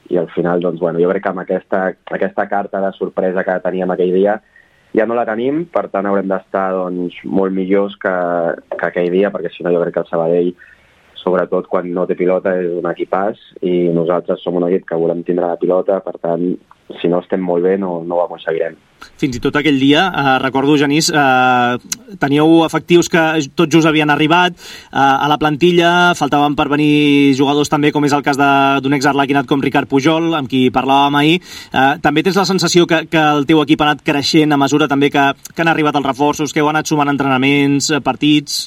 i al final doncs, bueno, jo crec que amb aquesta, aquesta carta de sorpresa que teníem aquell dia ja no la tenim, per tant haurem d'estar doncs, molt millors que, que aquell dia, perquè si no jo crec que el Sabadell, sobretot quan no té pilota, és un equipàs i nosaltres som un equip que volem tindre la pilota, per tant, si no estem molt bé no, no ho aconseguirem. Fins i tot aquell dia, eh, recordo, Genís, eh, teníeu efectius que tots just havien arribat eh, a la plantilla, faltaven per venir jugadors també, com és el cas d'un exarlequinat com Ricard Pujol, amb qui parlàvem ahir. Eh, també tens la sensació que, que el teu equip ha anat creixent a mesura també que, que han arribat els reforços, que heu anat sumant entrenaments, partits?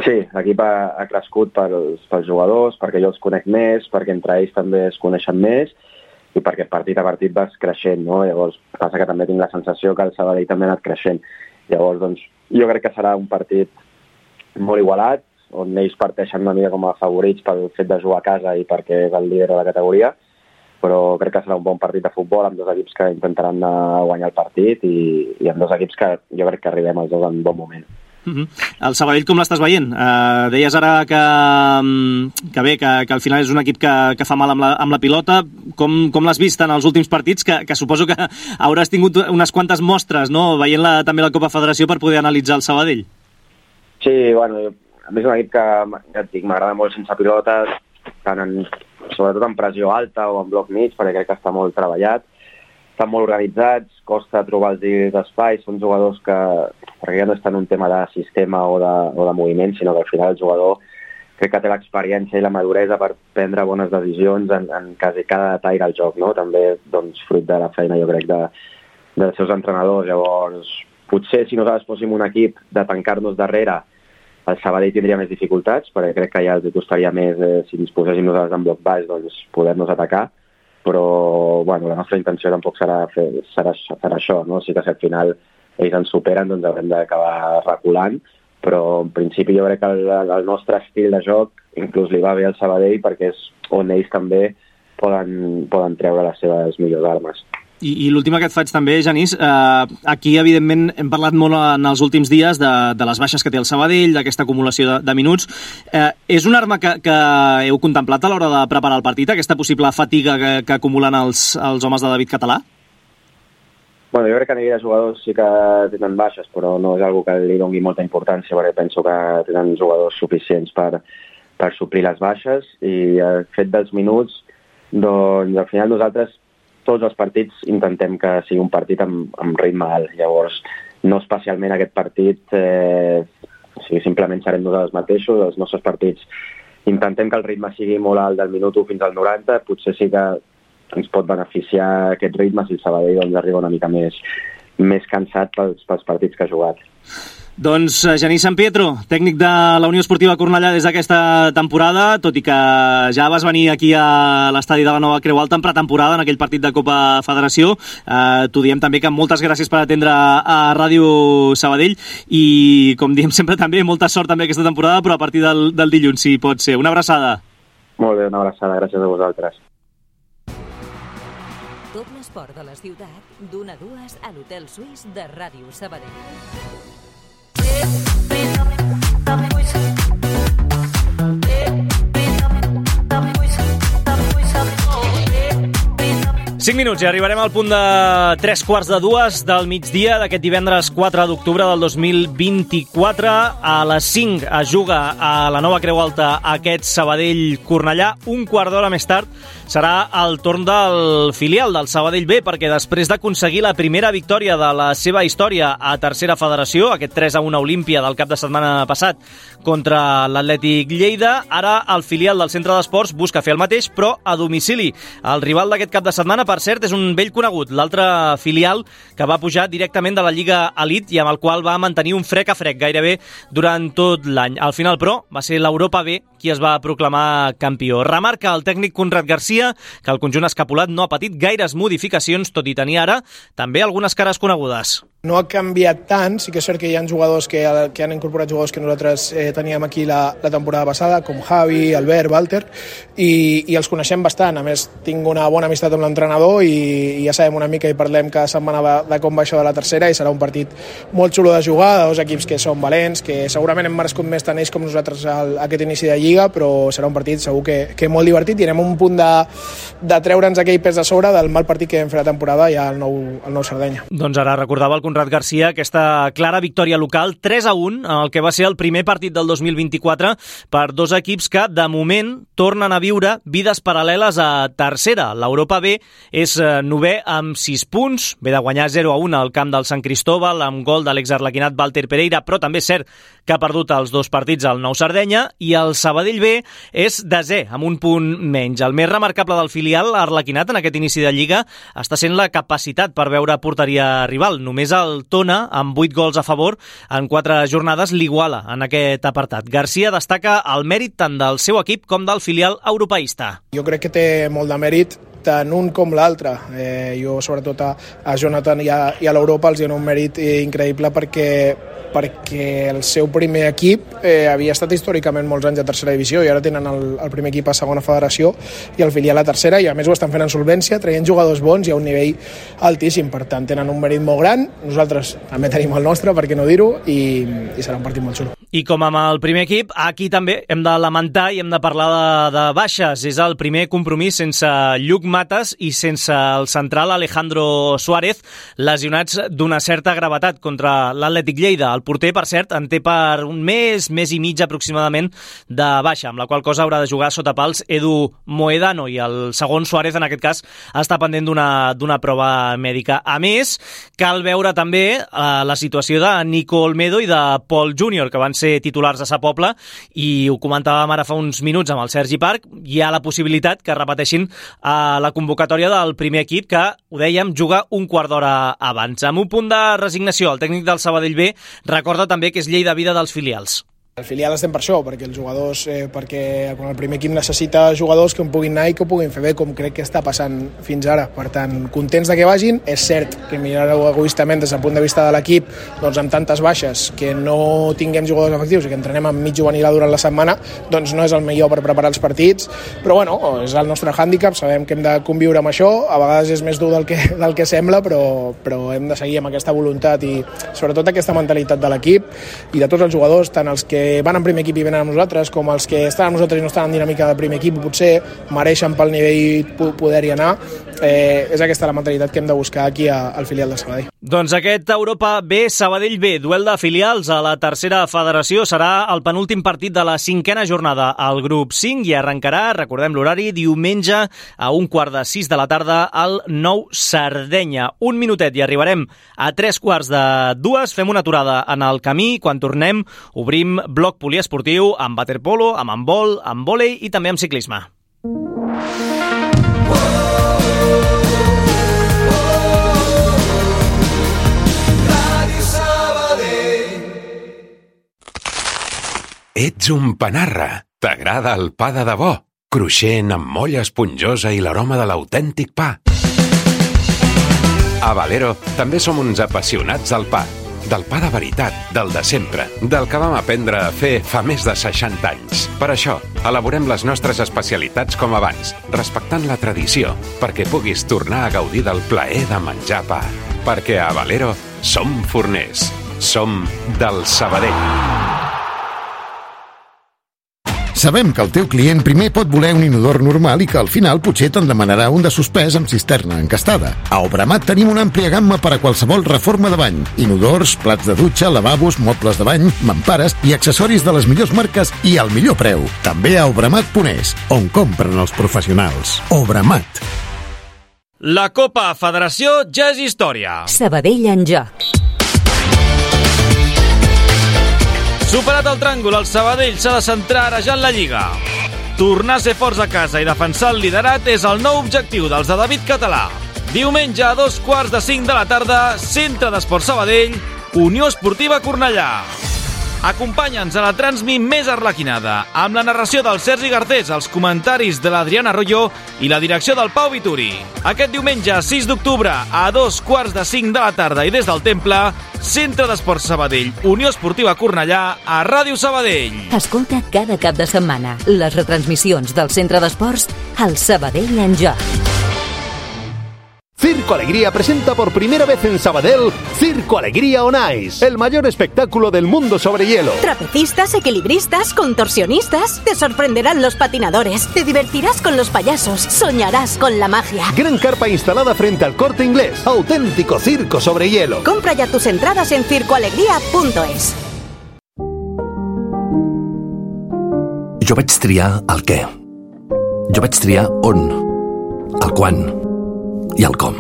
Sí, l'equip ha, ha crescut pels, pels jugadors, perquè jo els conec més, perquè entre ells també es coneixen més, i perquè partit a partit vas creixent, no? Llavors passa que també tinc la sensació que el Sabadell també ha anat creixent. Llavors, doncs, jo crec que serà un partit molt igualat, on ells parteixen una mica com a favorits pel fet de jugar a casa i perquè és el líder de la categoria, però crec que serà un bon partit de futbol amb dos equips que intentaran guanyar el partit i, i amb dos equips que jo crec que arribem els dos en bon moment. Uh-huh. El Sabadell com l'estàs veient? Uh, deies ara que, que bé, que, que al final és un equip que, que fa mal amb la, amb la pilota. Com, com l'has vist en els últims partits? Que, que suposo que hauràs tingut unes quantes mostres, no? Veient la, també la Copa Federació per poder analitzar el Sabadell. Sí, bueno, a més és un equip que, ja et dic, m'agrada molt sense pilotes, tant en, sobretot en pressió alta o en bloc mig, perquè crec que està molt treballat. Estan molt organitzats, costa trobar els espais, són jugadors que, perquè ja no és tant un tema de sistema o de, o de moviment, sinó que al final el jugador crec que té l'experiència i la maduresa per prendre bones decisions en, en quasi cada detall del joc, no? També doncs, fruit de la feina, jo crec, de, dels seus entrenadors. Llavors, potser si nosaltres fóssim un equip de tancar-nos darrere, el Sabadell tindria més dificultats, perquè crec que ja els costaria més, eh, si disposéssim nosaltres en bloc baix, doncs poder-nos atacar. Però bueno, la nostra intenció tampoc serà fer, serà, serà això, no? Sí que si al final ells ens superen, doncs haurem d'acabar reculant, però en principi jo crec que el, el nostre estil de joc inclús li va bé al Sabadell perquè és on ells també poden, poden treure les seves millors armes. I, i l'última que et faig també, Genís, eh, aquí evidentment hem parlat molt en els últims dies de, de les baixes que té el Sabadell, d'aquesta acumulació de, de minuts. Eh, és una arma que, que heu contemplat a l'hora de preparar el partit, aquesta possible fatiga que, que acumulen els, els homes de David Català? Bueno, jo crec que a nivell de jugadors sí que tenen baixes, però no és algo que li doni molta importància, perquè penso que tenen jugadors suficients per, per suplir les baixes, i el fet dels minuts, doncs al final nosaltres tots els partits intentem que sigui un partit amb, amb ritme alt. Llavors, no especialment aquest partit, eh, o sigui, simplement serem nosaltres mateixos. Els nostres partits intentem que el ritme sigui molt alt del minut u fins al noranta. Potser sí que ens pot beneficiar aquest ritme si el Sabadell doncs, arriba una mica més, més cansat pels, pels partits que ha jugat. Doncs Genís Sampietro, tècnic de la Unió Esportiva Cornellà des d'aquesta temporada, tot i que ja vas venir aquí a l'estadi de la Nova Creu Alta en pretemporada, en aquell partit de Copa Federació. Eh, T'ho diem també que moltes gràcies per atendre a Ràdio Sabadell i, com diem sempre també, molta sort també aquesta temporada, però a partir del, del dilluns, si pot ser. Una abraçada. Molt bé, una abraçada. Gràcies a vosaltres. Tot l'esport de la ciutat, d'una a dues a l'Hotel Suís de Ràdio Sabadell. cinc minuts i arribarem al punt de tres quarts de dues del migdia d'aquest divendres quatre d'octubre del dos mil vint-i-quatre. A les cinc es juga a la Nova Creu Alta aquest Sabadell-Cornellà. Un quart d'hora més tard serà el torn del filial del Sabadell B, perquè després d'aconseguir la primera victòria de la seva història a tercera federació, aquest tres a un a Olímpia del cap de setmana passat contra l'Atlètic Lleida, ara el filial del Centre d'Esports busca fer el mateix, però a domicili. El rival d'aquest cap de setmana, per cert, és un vell conegut, l'altre filial que va pujar directament de la Lliga Elite i amb el qual va mantenir un frec a frec gairebé durant tot l'any. Al final, però, va ser l'Europa B qui es va proclamar campió. Remarca el tècnic Conrad Garcia que el conjunt escapulat no ha patit gaires modificacions, tot i tenir ara també algunes cares conegudes. No ha canviat tant, sí que és cert que hi ha jugadors que, que han incorporat jugadors que nosaltres eh, teníem aquí la, la temporada passada, com Javi, Albert, Walter, i, i els coneixem bastant. A més, tinc una bona amistat amb l'entrenador i, i ja sabem una mica i parlem cada setmana de, de com va això de la tercera, i serà un partit molt xulo de jugar, de dos equips que són valents, que segurament hem merescut més tant ells com nosaltres al, aquest inici de Lliga, però serà un partit segur que, que molt divertit i anem un punt de, de treure'ns aquell pes de sobre del mal partit que vam fer la temporada ja al nou, al nou Sardenya. Doncs ara recordava el Conrad Garcia aquesta clara victòria local tres a un en el que va ser el primer partit del dos mil vint-i-quatre per dos equips que de moment tornen a viure vides paral·leles a tercera. L'Europa B és novè amb sis punts, ve de guanyar zero a un al camp del Sant Cristóbal amb gol de l'exarlequinat Walter Pereira, però també és cert que ha perdut els dos partits al Nou Sardenya, i el Sabadell B és desè amb un punt menys. El més remarcable del filial arlequinat en aquest inici de Lliga està sent la capacitat per veure porteria rival. Només el Tona, amb vuit gols a favor en quatre jornades, l'iguala en aquest apartat. Garcia destaca el mèrit tant del seu equip com del filial europeista. Jo crec que té molt de mèrit tant un com l'altre. Eh, jo, sobretot, a, a Jonathan i a, i a l'Europa els dono un mèrit increïble perquè perquè el seu primer equip eh, havia estat històricament molts anys a tercera divisió i ara tenen el, el primer equip a segona federació i el filial a tercera, i a més ho estan fent en solvència, traient jugadors bons i a un nivell altíssim, per tant tenen un mèrit molt gran. Nosaltres també tenim el nostre, per què no dir-ho, i, i serà un partit molt xulo. I com amb el primer equip, aquí també hem de lamentar i hem de parlar de, de baixes. És el primer compromís sense Lluc Mates i sense el central Alejandro Suárez, lesionats d'una certa gravetat contra l'Atlètic Lleida. El porter, per cert, en té per un mes, mes i mig aproximadament de baixa, amb la qual cosa haurà de jugar sota pals Edu Moedano, i el segon Suárez, en aquest cas, està pendent d'una d'una prova mèdica. A més, cal veure també eh, la situació de Nico Olmedo i de Pol Júnior, que van ser titulars a Sa Pobla, i ho comentàvem ara fa uns minuts amb el Sergi Parc. Hi ha la possibilitat que repeteixin a la convocatòria del primer equip, que, ho dèiem, juga un quart d'hora abans. Amb un punt de resignació, el tècnic del Sabadell B recorda també que és llei de vida dels filials. El filial estem per això, perquè els jugadors, eh, perquè quan el primer equip necessita jugadors que en puguin anar i que ho puguin fer bé, com crec que està passant fins ara. Per tant, contents de que vagin. És cert que mirareu egoistament des del punt de vista de l'equip, doncs amb tantes baixes, que no tinguem jugadors efectius i que entrenem amb mig juvenil durant la setmana, doncs no és el millor per preparar els partits, però bueno, és el nostre hàndicap, sabem que hem de conviure amb això, a vegades és més dur del que, del que sembla, però, però hem de seguir amb aquesta voluntat i sobretot aquesta mentalitat de l'equip i de tots els jugadors, tant els que van en primer equip i venen amb nosaltres, com els que estan amb nosaltres i no estan en dinàmica de primer equip, potser mereixen pel nivell poder-hi anar. Eh, és aquesta la mentalitat que hem de buscar aquí a, al filial de Sabadell. Doncs aquest Europa B, Sabadell B, duel de filials a la tercera federació, serà el penúltim partit de la cinquena jornada al grup cinc i arrencarà, recordem l'horari, diumenge a un quart de sis de la tarda al Nou Sardenya. Un minutet i arribarem a tres quarts de dues, fem una aturada en el camí. Quan tornem obrim bloc poliesportiu amb waterpolo, amb handbol, amb vòlei i també amb ciclisme. Ets un panarra. T'agrada el pa de debò? Cruixent, amb molla esponjosa i l'aroma de l'autèntic pa. A Valero també som uns apassionats del pa. Del pa de veritat, del de sempre, del que vam aprendre a fer fa més de seixanta anys. Per això, elaborem les nostres especialitats com abans, respectant la tradició, perquè puguis tornar a gaudir del plaer de menjar pa. Perquè a Valero som forners. Som del Sabadell. Sabem que el teu client primer pot voler un inodor normal i que al final potser te'n demanarà un de suspès amb cisterna encastada. A Obramat tenim una àmplia gamma per a qualsevol reforma de bany. Inodors, plats de dutxa, lavabos, mobles de bany, mampares i accessoris de les millors marques i al millor preu. També a Obramat punt es, on compren els professionals. Obramat. La Copa Federació ja és història. Sabadell en joc. Superat el tràngol, el Sabadell s'ha de centrar ara ja en la Lliga. Tornar a ser forts a casa i defensar el liderat és el nou objectiu dels de David Català. Diumenge a dos quarts de cinc de la tarda, Centre d'Esports Sabadell, Unió Esportiva Cornellà. Acompanya'ns a la Transmi més arlequinada, amb la narració del Sergi Garcés, els comentaris de l'Adriana Arroyo i la direcció del Pau Vituri. Aquest diumenge, sis d'octubre, a dos quarts de cinc de la tarda i des del Temple, Centre d'Esports Sabadell, Unió Esportiva Cornellà, a Ràdio Sabadell. Escolta cada cap de setmana les retransmissions del Centre d'Esports al Sabadell en joc. Circo Alegría presenta por primera vez en Sabadell Circo Alegría on Ice, el mayor espectáculo del mundo sobre hielo. Trapecistas, equilibristas, contorsionistas, te sorprenderán los patinadores, te divertirás con los payasos, soñarás con la magia. Gran carpa instalada frente al Corte Inglés, auténtico circo sobre hielo. Compra ya tus entradas en circo alegría punto es. Jo vaig triar el què. Jo vaig triar on, el quan i el com.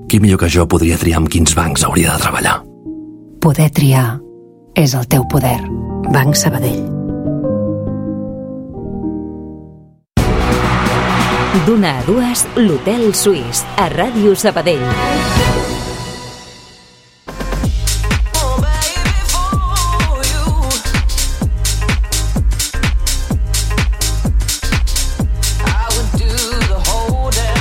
Qui millor que jo podria triar amb quins bancs hauria de treballar? Poder triar és el teu poder. Banc Sabadell. D'una a dues, l'Hotel Suís, a Ràdio Sabadell. I would do the whole damn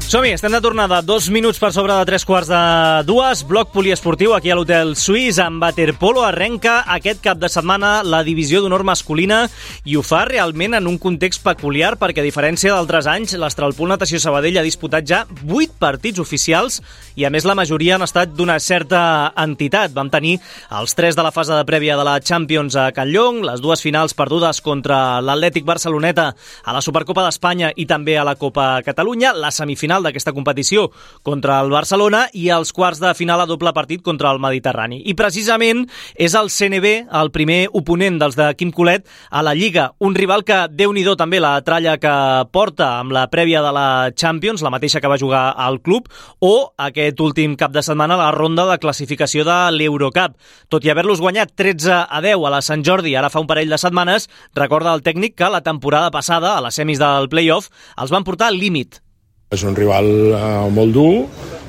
Som-hi, estem de tornada. Dos minuts per sobre de tres quarts de dues. Bloc poliesportiu aquí a l'Hotel Suís. Amb waterpolo arrenca aquest cap de setmana la divisió d'honor masculina i ho fa realment en un context peculiar perquè, a diferència d'altres anys, l'Astralpool Natació Sabadell ha disputat ja vuit partits oficials i, a més, la majoria han estat d'una certa entitat. Vam tenir els tres de la fase de prèvia de la Champions a Catlllong, les dues finals perdudes contra l'Atlètic Barceloneta a la Supercopa d'Espanya i també a la Copa Catalunya, la semifinal d'aquesta competició contra el Barcelona i els quarts de final a doble partit contra el Mediterrani. I precisament és el C N B el primer oponent dels de Quim Colet a la Lliga, un rival que, Déu-n'hi-do també la tralla que porta amb la prèvia de la Champions, la mateixa que va jugar al club, o aquest últim cap de setmana la ronda de classificació de l'Eurocup. Tot i haver-los guanyat tretze a deu a la Sant Jordi ara fa un parell de setmanes, recorda el tècnic que la temporada passada, a les semis del play-off, els van portar al límit. És un rival eh, molt dur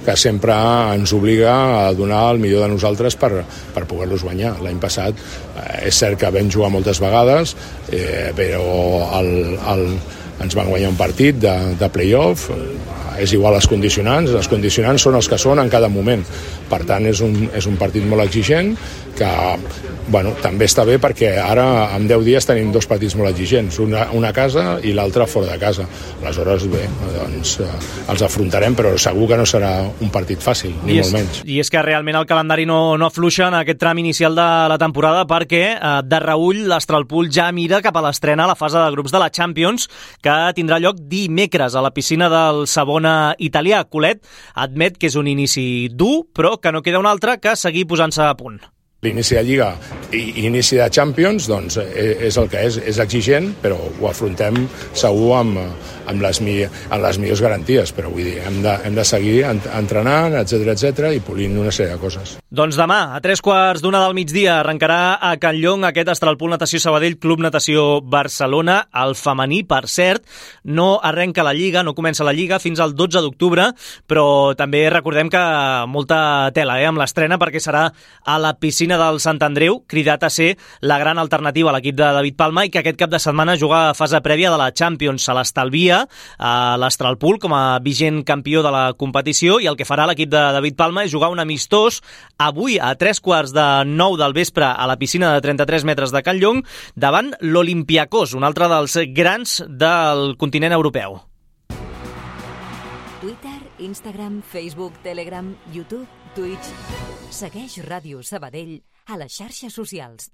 que sempre ens obliga a donar el millor de nosaltres per, per poder-los guanyar. L'any passat eh, és cert que vam jugar moltes vegades, eh, però el, el, ens van guanyar un partit de, de play-off. És igual les condicionants, les condicionants són els que són en cada moment. Per tant, és un, és un partit molt exigent que, bueno, també està bé perquè ara en deu dies tenim dos partits molt exigents, una, una a casa i l'altra fora de casa. Aleshores, bé, doncs eh, els afrontarem, però segur que no serà un partit fàcil, ni I molt és, menys. I és que realment el calendari no, no afluixa en aquest tram inicial de la temporada perquè eh, de reüll l'Astralpool ja mira cap a l'estrena a la fase de grups de la Champions, que tindrà lloc dimecres a la piscina del Savona italià. Colet admet que és un inici dur, però que no queda un altre que seguir posant-se a punt. L'inici de Lliga i inici de Champions doncs, és el que és, és exigent, però ho afrontem segur amb, amb, les, amb les millors garanties, però vull dir, hem de, hem de seguir entrenant, etcètera, etcètera, i polint una sèrie de coses. Doncs demà, a tres quarts d'una del migdia, arrencarà a Catlllong aquest Astralpool Natació Sabadell Club Natació Barcelona. El femení, per cert, no arrenca la Lliga, no comença la Lliga fins al dotze d'octubre, però també recordem que molta tela eh, amb l'estrena perquè serà a la piscina del Sant Andreu, cridat a ser la gran alternativa a l'equip de David Palma i que aquest cap de setmana juga a fase prèvia de la Champions. Se l'estalvia a l'Astralpool com a vigent campió de la competició i el que farà l'equip de David Palma és jugar un amistós avui a tres quarts de nou del vespre a la piscina de trenta-tres metres de Catlllong davant l'Olympiakos, un altre dels grans del continent europeu. Twitter, Instagram, Facebook, Telegram, YouTube, Twitch. Segueix Ràdio Sabadell a les xarxes socials.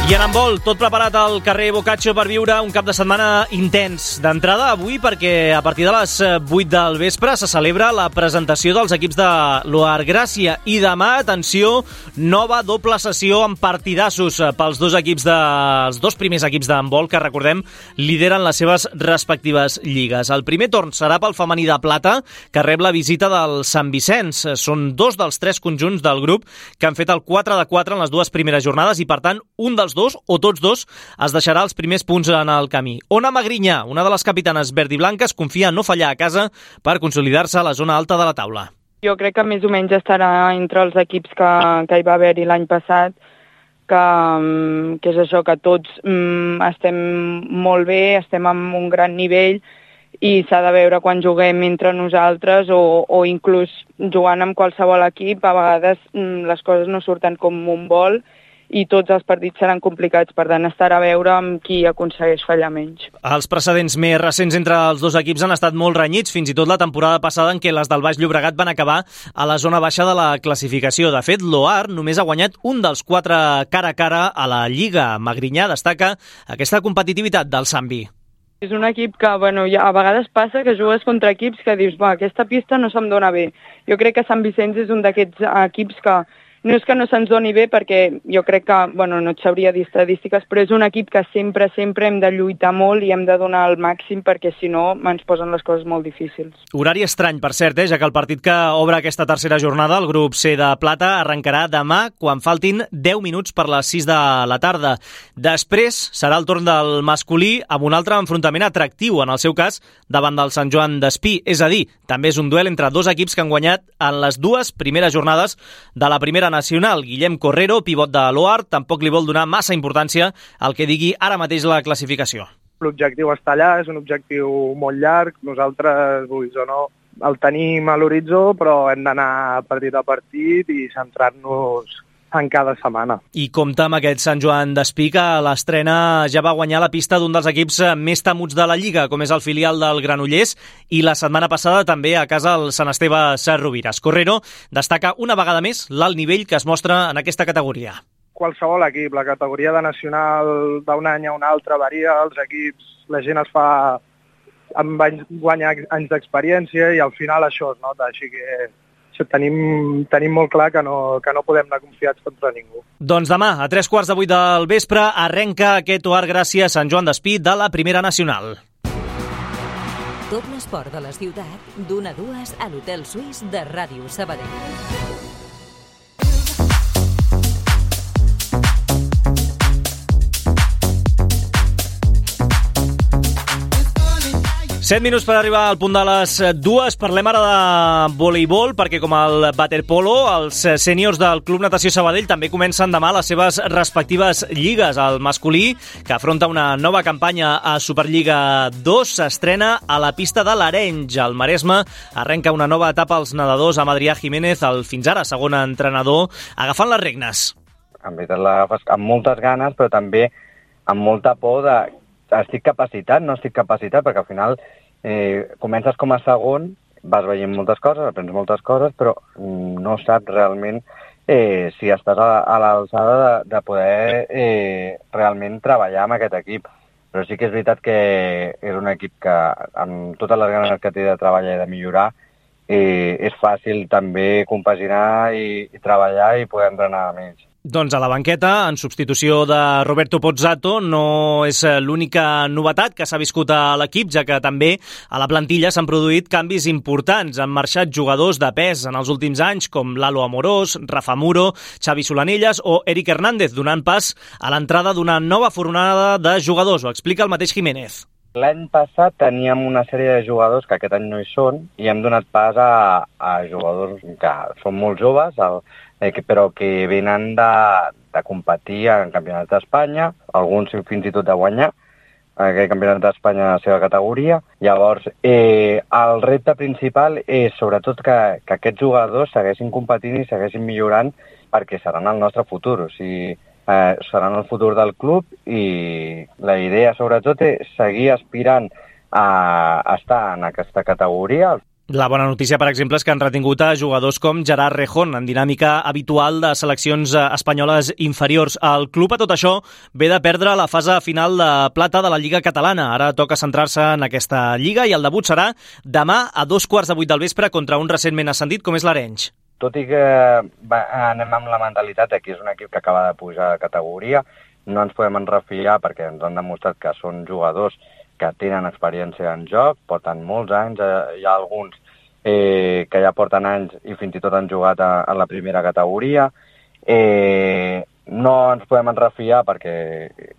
I en handbol, tot preparat al carrer Boccaccio per viure un cap de setmana intens. D'entrada avui perquè a partir de les vuit del vespre se celebra la presentació dels equips de l'Oar Gràcia i demà, atenció, nova doble sessió amb partidassos pels dos equips de, els dos primers equips d'handbol que, recordem, lideren les seves respectives lligues. El primer torn serà pel femení de plata, que rep la visita del Sant Vicenç. Són dos dels tres conjunts del grup que han fet el quatre de quatre en les dues primeres jornades i, per tant, un dels dos, o tots dos, es deixarà els primers punts en el camí. Ona Magrinyà, una de les capitanes verd i blanques, confia en no fallar a casa per consolidar-se a la zona alta de la taula. Jo crec que més o menys estarà entre els equips que, que hi va haver-hi l'any passat, que, que és això, que tots mm, estem molt bé, estem amb un gran nivell i s'ha de veure quan juguem entre nosaltres o, o inclús jugant amb qualsevol equip, a vegades mm, les coses no surten com un vol i tots els partits seran complicats, per tant estarà a veure amb qui aconsegueix fallar menys. Els precedents més recents entre els dos equips han estat molt renyits, fins i tot la temporada passada en què les del Baix Llobregat van acabar a la zona baixa de la classificació. De fet, l'Oar només ha guanyat un dels quatre cara a cara a la Lliga. Magrinyà destaca aquesta competitivitat del Sambi. És un equip que, bueno, ja a vegades passa que jugues contra equips que dius, va, aquesta pista no se'm dona bé. Jo crec que Sant Vicenç és un d'aquests equips que no és que no se'ns doni bé, perquè jo crec que, bueno, no et sabria dir estadístiques, però és un equip que sempre, sempre hem de lluitar molt i hem de donar el màxim, perquè si no ens posen les coses molt difícils. Horari estrany, per cert, eh, ja que el partit que obre aquesta tercera jornada, el grup C de plata, arrencarà demà quan faltin deu minuts per les sis de la tarda. Després serà el torn del masculí amb un altre enfrontament atractiu, en el seu cas, davant del Sant Joan d'Espí. És a dir, també és un duel entre dos equips que han guanyat en les dues primeres jornades de la primera nacional. Guillem Correro, pivot de l'Oar, tampoc li vol donar massa importància al que digui ara mateix la classificació. L'objectiu està allà, és un objectiu molt llarg, nosaltres, vulguis o no, el tenim a l'horitzó, però hem d'anar partit a partit i centrar-nos en cada setmana. I compta amb aquest Sant Joan d'Espí, que a l'estrena ja va guanyar la pista d'un dels equips més temuts de la Lliga, com és el filial del Granollers, i la setmana passada també a casa el Sant Esteve Sesrovires. Correro destaca una vegada més l'alt nivell que es mostra en aquesta categoria. Qualsevol equip, la categoria de nacional d'un any a un altre varia, els equips, la gent es fa amb anys, guanya anys d'experiència i al final això es nota, així que tenim, tenim molt clar que no, que no podem anar confiats contra ningú. Doncs demà, a tres quarts de vuit del vespre, arrenca aquest O A R Gràcia Sant Joan d'Espí de la Primera Nacional. Tot l'esport de la ciutat, d'una a dues a l'Hotel Suís de Ràdio Sabadell. Set minuts per arribar al punt de les dues. Parlem ara de voleibol, perquè com el waterpolo, els sèniors del Club Natació Sabadell també comencen demà les seves respectives lligues. El masculí, que afronta una nova campanya a Superliga dos, s'estrena a la pista de l'Arenys. El Maresme arrenca una nova etapa als nedadors amb Adrià Jiménez, el fins ara segon entrenador, agafant les regnes. En veritat l'agafes amb moltes ganes, però també amb molta por de estic capacitat, no estic capacitat, perquè al final eh, comences com a segon, vas veient moltes coses, aprens moltes coses, però no saps realment eh, si estàs a, a l'alçada de, de poder eh, realment treballar amb aquest equip. Però sí que és veritat que és un equip que, amb totes les ganes que té de treballar i de millorar, eh, és fàcil també compaginar i, i treballar i poder entrenar amb ells. Doncs a la banqueta, en substitució de Roberto Pozzato, no és l'única novetat que s'ha viscut a l'equip, ja que també a la plantilla s'han produït canvis importants. Han marxat jugadors de pes en els últims anys, com Lalo Amorós, Rafa Muro, Xavi Solanelles o Eric Hernández, donant pas a l'entrada d'una nova fornada de jugadors. Ho explica el mateix Jiménez. L'any passat teníem una sèrie de jugadors que aquest any no hi són i hem donat pas a, a jugadors que són molt joves, el, eh, que, però que venen de, de competir en campionats d'Espanya, alguns fins i tot de guanyar aquest campionat d'Espanya en la seva categoria. Llavors, eh, el repte principal és sobretot que, que aquests jugadors segueixin competint i segueixin millorant perquè seran el nostre futur, o sigui, Eh, seran el futur del club i la idea sobretot és seguir aspirant a estar en aquesta categoria. La bona notícia, per exemple, és que han retingut a jugadors com Gerard Rejón, en dinàmica habitual de seleccions espanyoles inferiors. El club, a tot això, ve de perdre la fase final de plata de la Lliga Catalana. Ara toca centrar-se en aquesta lliga i el debut serà demà a dos quarts de vuit del vespre contra un recentment ascendit com és l'Arenys. Tot i que va, anem amb la mentalitat que és un equip que acaba de pujar de categoria, no ens podem enrefiar perquè ens han demostrat que són jugadors que tenen experiència en joc, porten molts anys, hi ha alguns eh, que ja porten anys i fins i tot han jugat a, a la primera categoria. Eh, no ens podem enrefiar perquè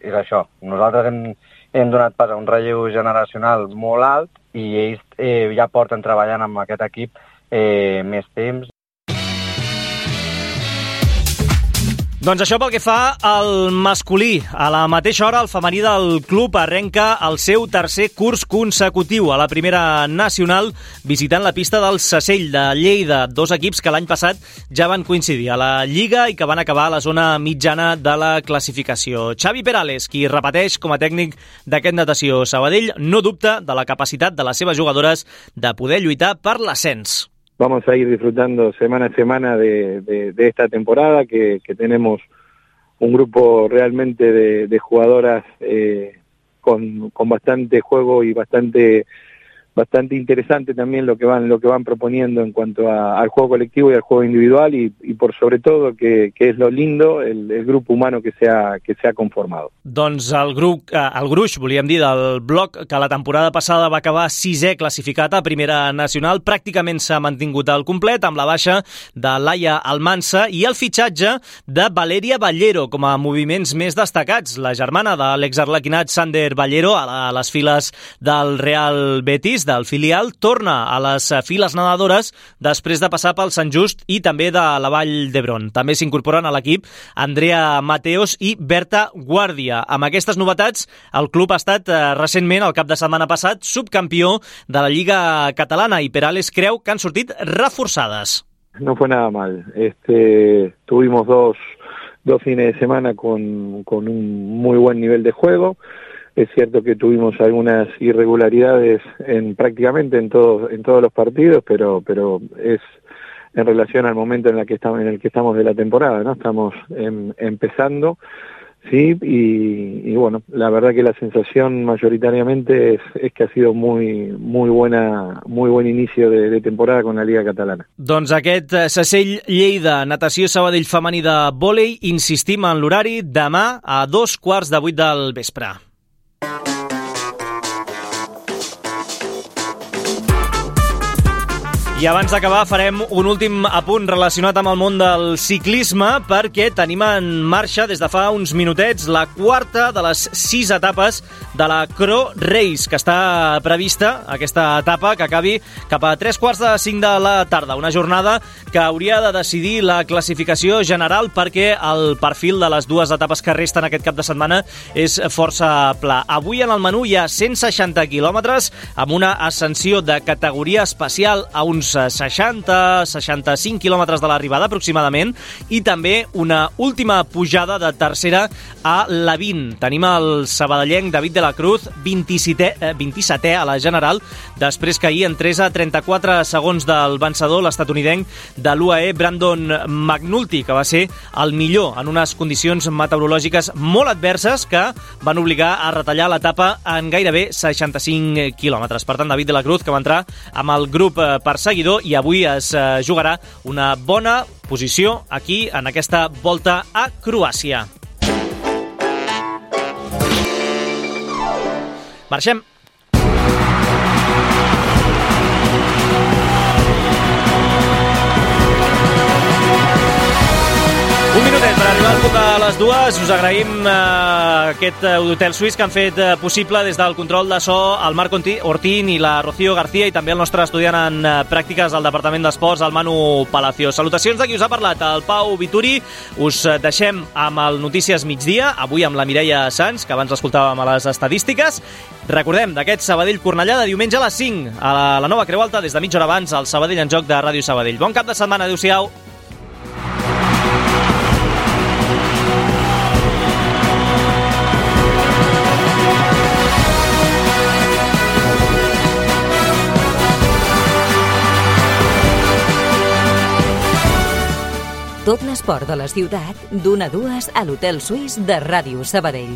és això, nosaltres hem, hem donat pas a un relleu generacional molt alt i ells eh, ja porten treballant amb aquest equip eh, més temps. Doncs això pel que fa al masculí. A la mateixa hora, el femení del club arrenca el seu tercer curs consecutiu a la Primera Nacional, visitant la pista del Sasell de Lleida, dos equips que l'any passat ja van coincidir a la Lliga i que van acabar a la zona mitjana de la classificació. Xavi Perales, qui repeteix com a tècnic d'aquest Natació Sabadell, no dubta de la capacitat de les seves jugadores de poder lluitar per l'ascens. Vamos a ir disfrutando semana a semana de, de, de esta temporada, que, que tenemos un grupo realmente de, de jugadoras eh, con, con bastante juego y bastante bastante interesante también lo que van lo que van proponiendo en cuanto a, al juego colectivo y al juego individual y, y por sobre todo que, que es lo lindo el, el grupo humano que se ha, que se ha conformado. Doncs el grup, el gruix, volíem dir, del bloc que la temporada passada va acabar sisè classificat a Primera Nacional, pràcticament s'ha mantingut al complet amb la baixa de Laia Almansa i el fitxatge de Valeria Ballero com a moviments més destacats, la germana de l'exarlequinat Sander Ballero a les files del Real Betis. Bethesda, el filial, torna a les files nedadores després de passar pel Sant Just i també de la Vall d'Hebron. També s'incorporen a l'equip Andrea Mateos i Berta Guàrdia. Amb aquestes novetats, el club ha estat eh, recentment, el cap de setmana passat, subcampió de la Lliga Catalana i Perales creu que han sortit reforçades. No fue nada mal. Este, tuvimos dos, dos fines de semana con, con un muy buen nivel de juego. Es cierto que tuvimos algunas irregularidades en prácticamente en todos en todos los partidos, pero pero es en relación al momento en el que estamos en el que estamos de la temporada, ¿no? Estamos en, empezando, sí, y, y bueno, la verdad que la sensación mayoritariamente es, es que ha sido muy muy buena muy buen inicio de, de temporada con la Liga Catalana. Doncs aquest Sasell Lleida, natació Sabadell femení de vòlei, insistim en l'horari, demà a dos quarts de vuit del vespre. I abans d'acabar farem un últim apunt relacionat amb el món del ciclisme perquè tenim en marxa des de fa uns minutets la quarta de les sis etapes de la Cro Race, que està prevista, aquesta etapa que acabi cap a tres quarts de cinc de la tarda. Una jornada que hauria de decidir la classificació general perquè el perfil de les dues etapes que resten aquest cap de setmana és força pla. Avui en el menú hi ha cent seixanta quilòmetres amb una ascensió de categoria especial a uns seixanta a seixanta-cinc quilòmetres de l'arribada aproximadament i també una última pujada de tercera a la vint. Tenim el sabadellenc David de la Cruz, vint-i-setè, eh, vint-i-setè a la general, després que ahir entrés a trenta-quatre segons del vencedor, l'estatunidenc de l'U A E, Brandon McNulty, que va ser el millor en unes condicions meteorològiques molt adverses que van obligar a retallar l'etapa en gairebé seixanta-cinc quilòmetres. Per tant, David de la Cruz, que va entrar amb el grup perseguidor i avui es jugarà una bona posició aquí en aquesta volta a Croàcia. Marxem. Un minutet per arribar al punt de les dues. Us agraïm eh, aquest hotel suís que han fet eh, possible des del control de so el Marc Ortín i la Rocío García i també el nostre estudiant en eh, pràctiques al Departament d'Esports, el Manu Palacio. Salutacions de qui us ha parlat, el Pau Vituri. Us deixem amb el Notícies Migdia, avui amb la Mireia Sans, que abans l'escoltàvem a les estadístiques. Recordem d'aquest Sabadell-Cornellà de diumenge a les cinc, a la, la nova Creu Alta, des de mitja hora abans, al Sabadell en Joc de Ràdio Sabadell. Bon cap de setmana, adéu-siau. Tot l'esport de la ciutat, d'una a dues a l'Hotel Suís de Ràdio Sabadell.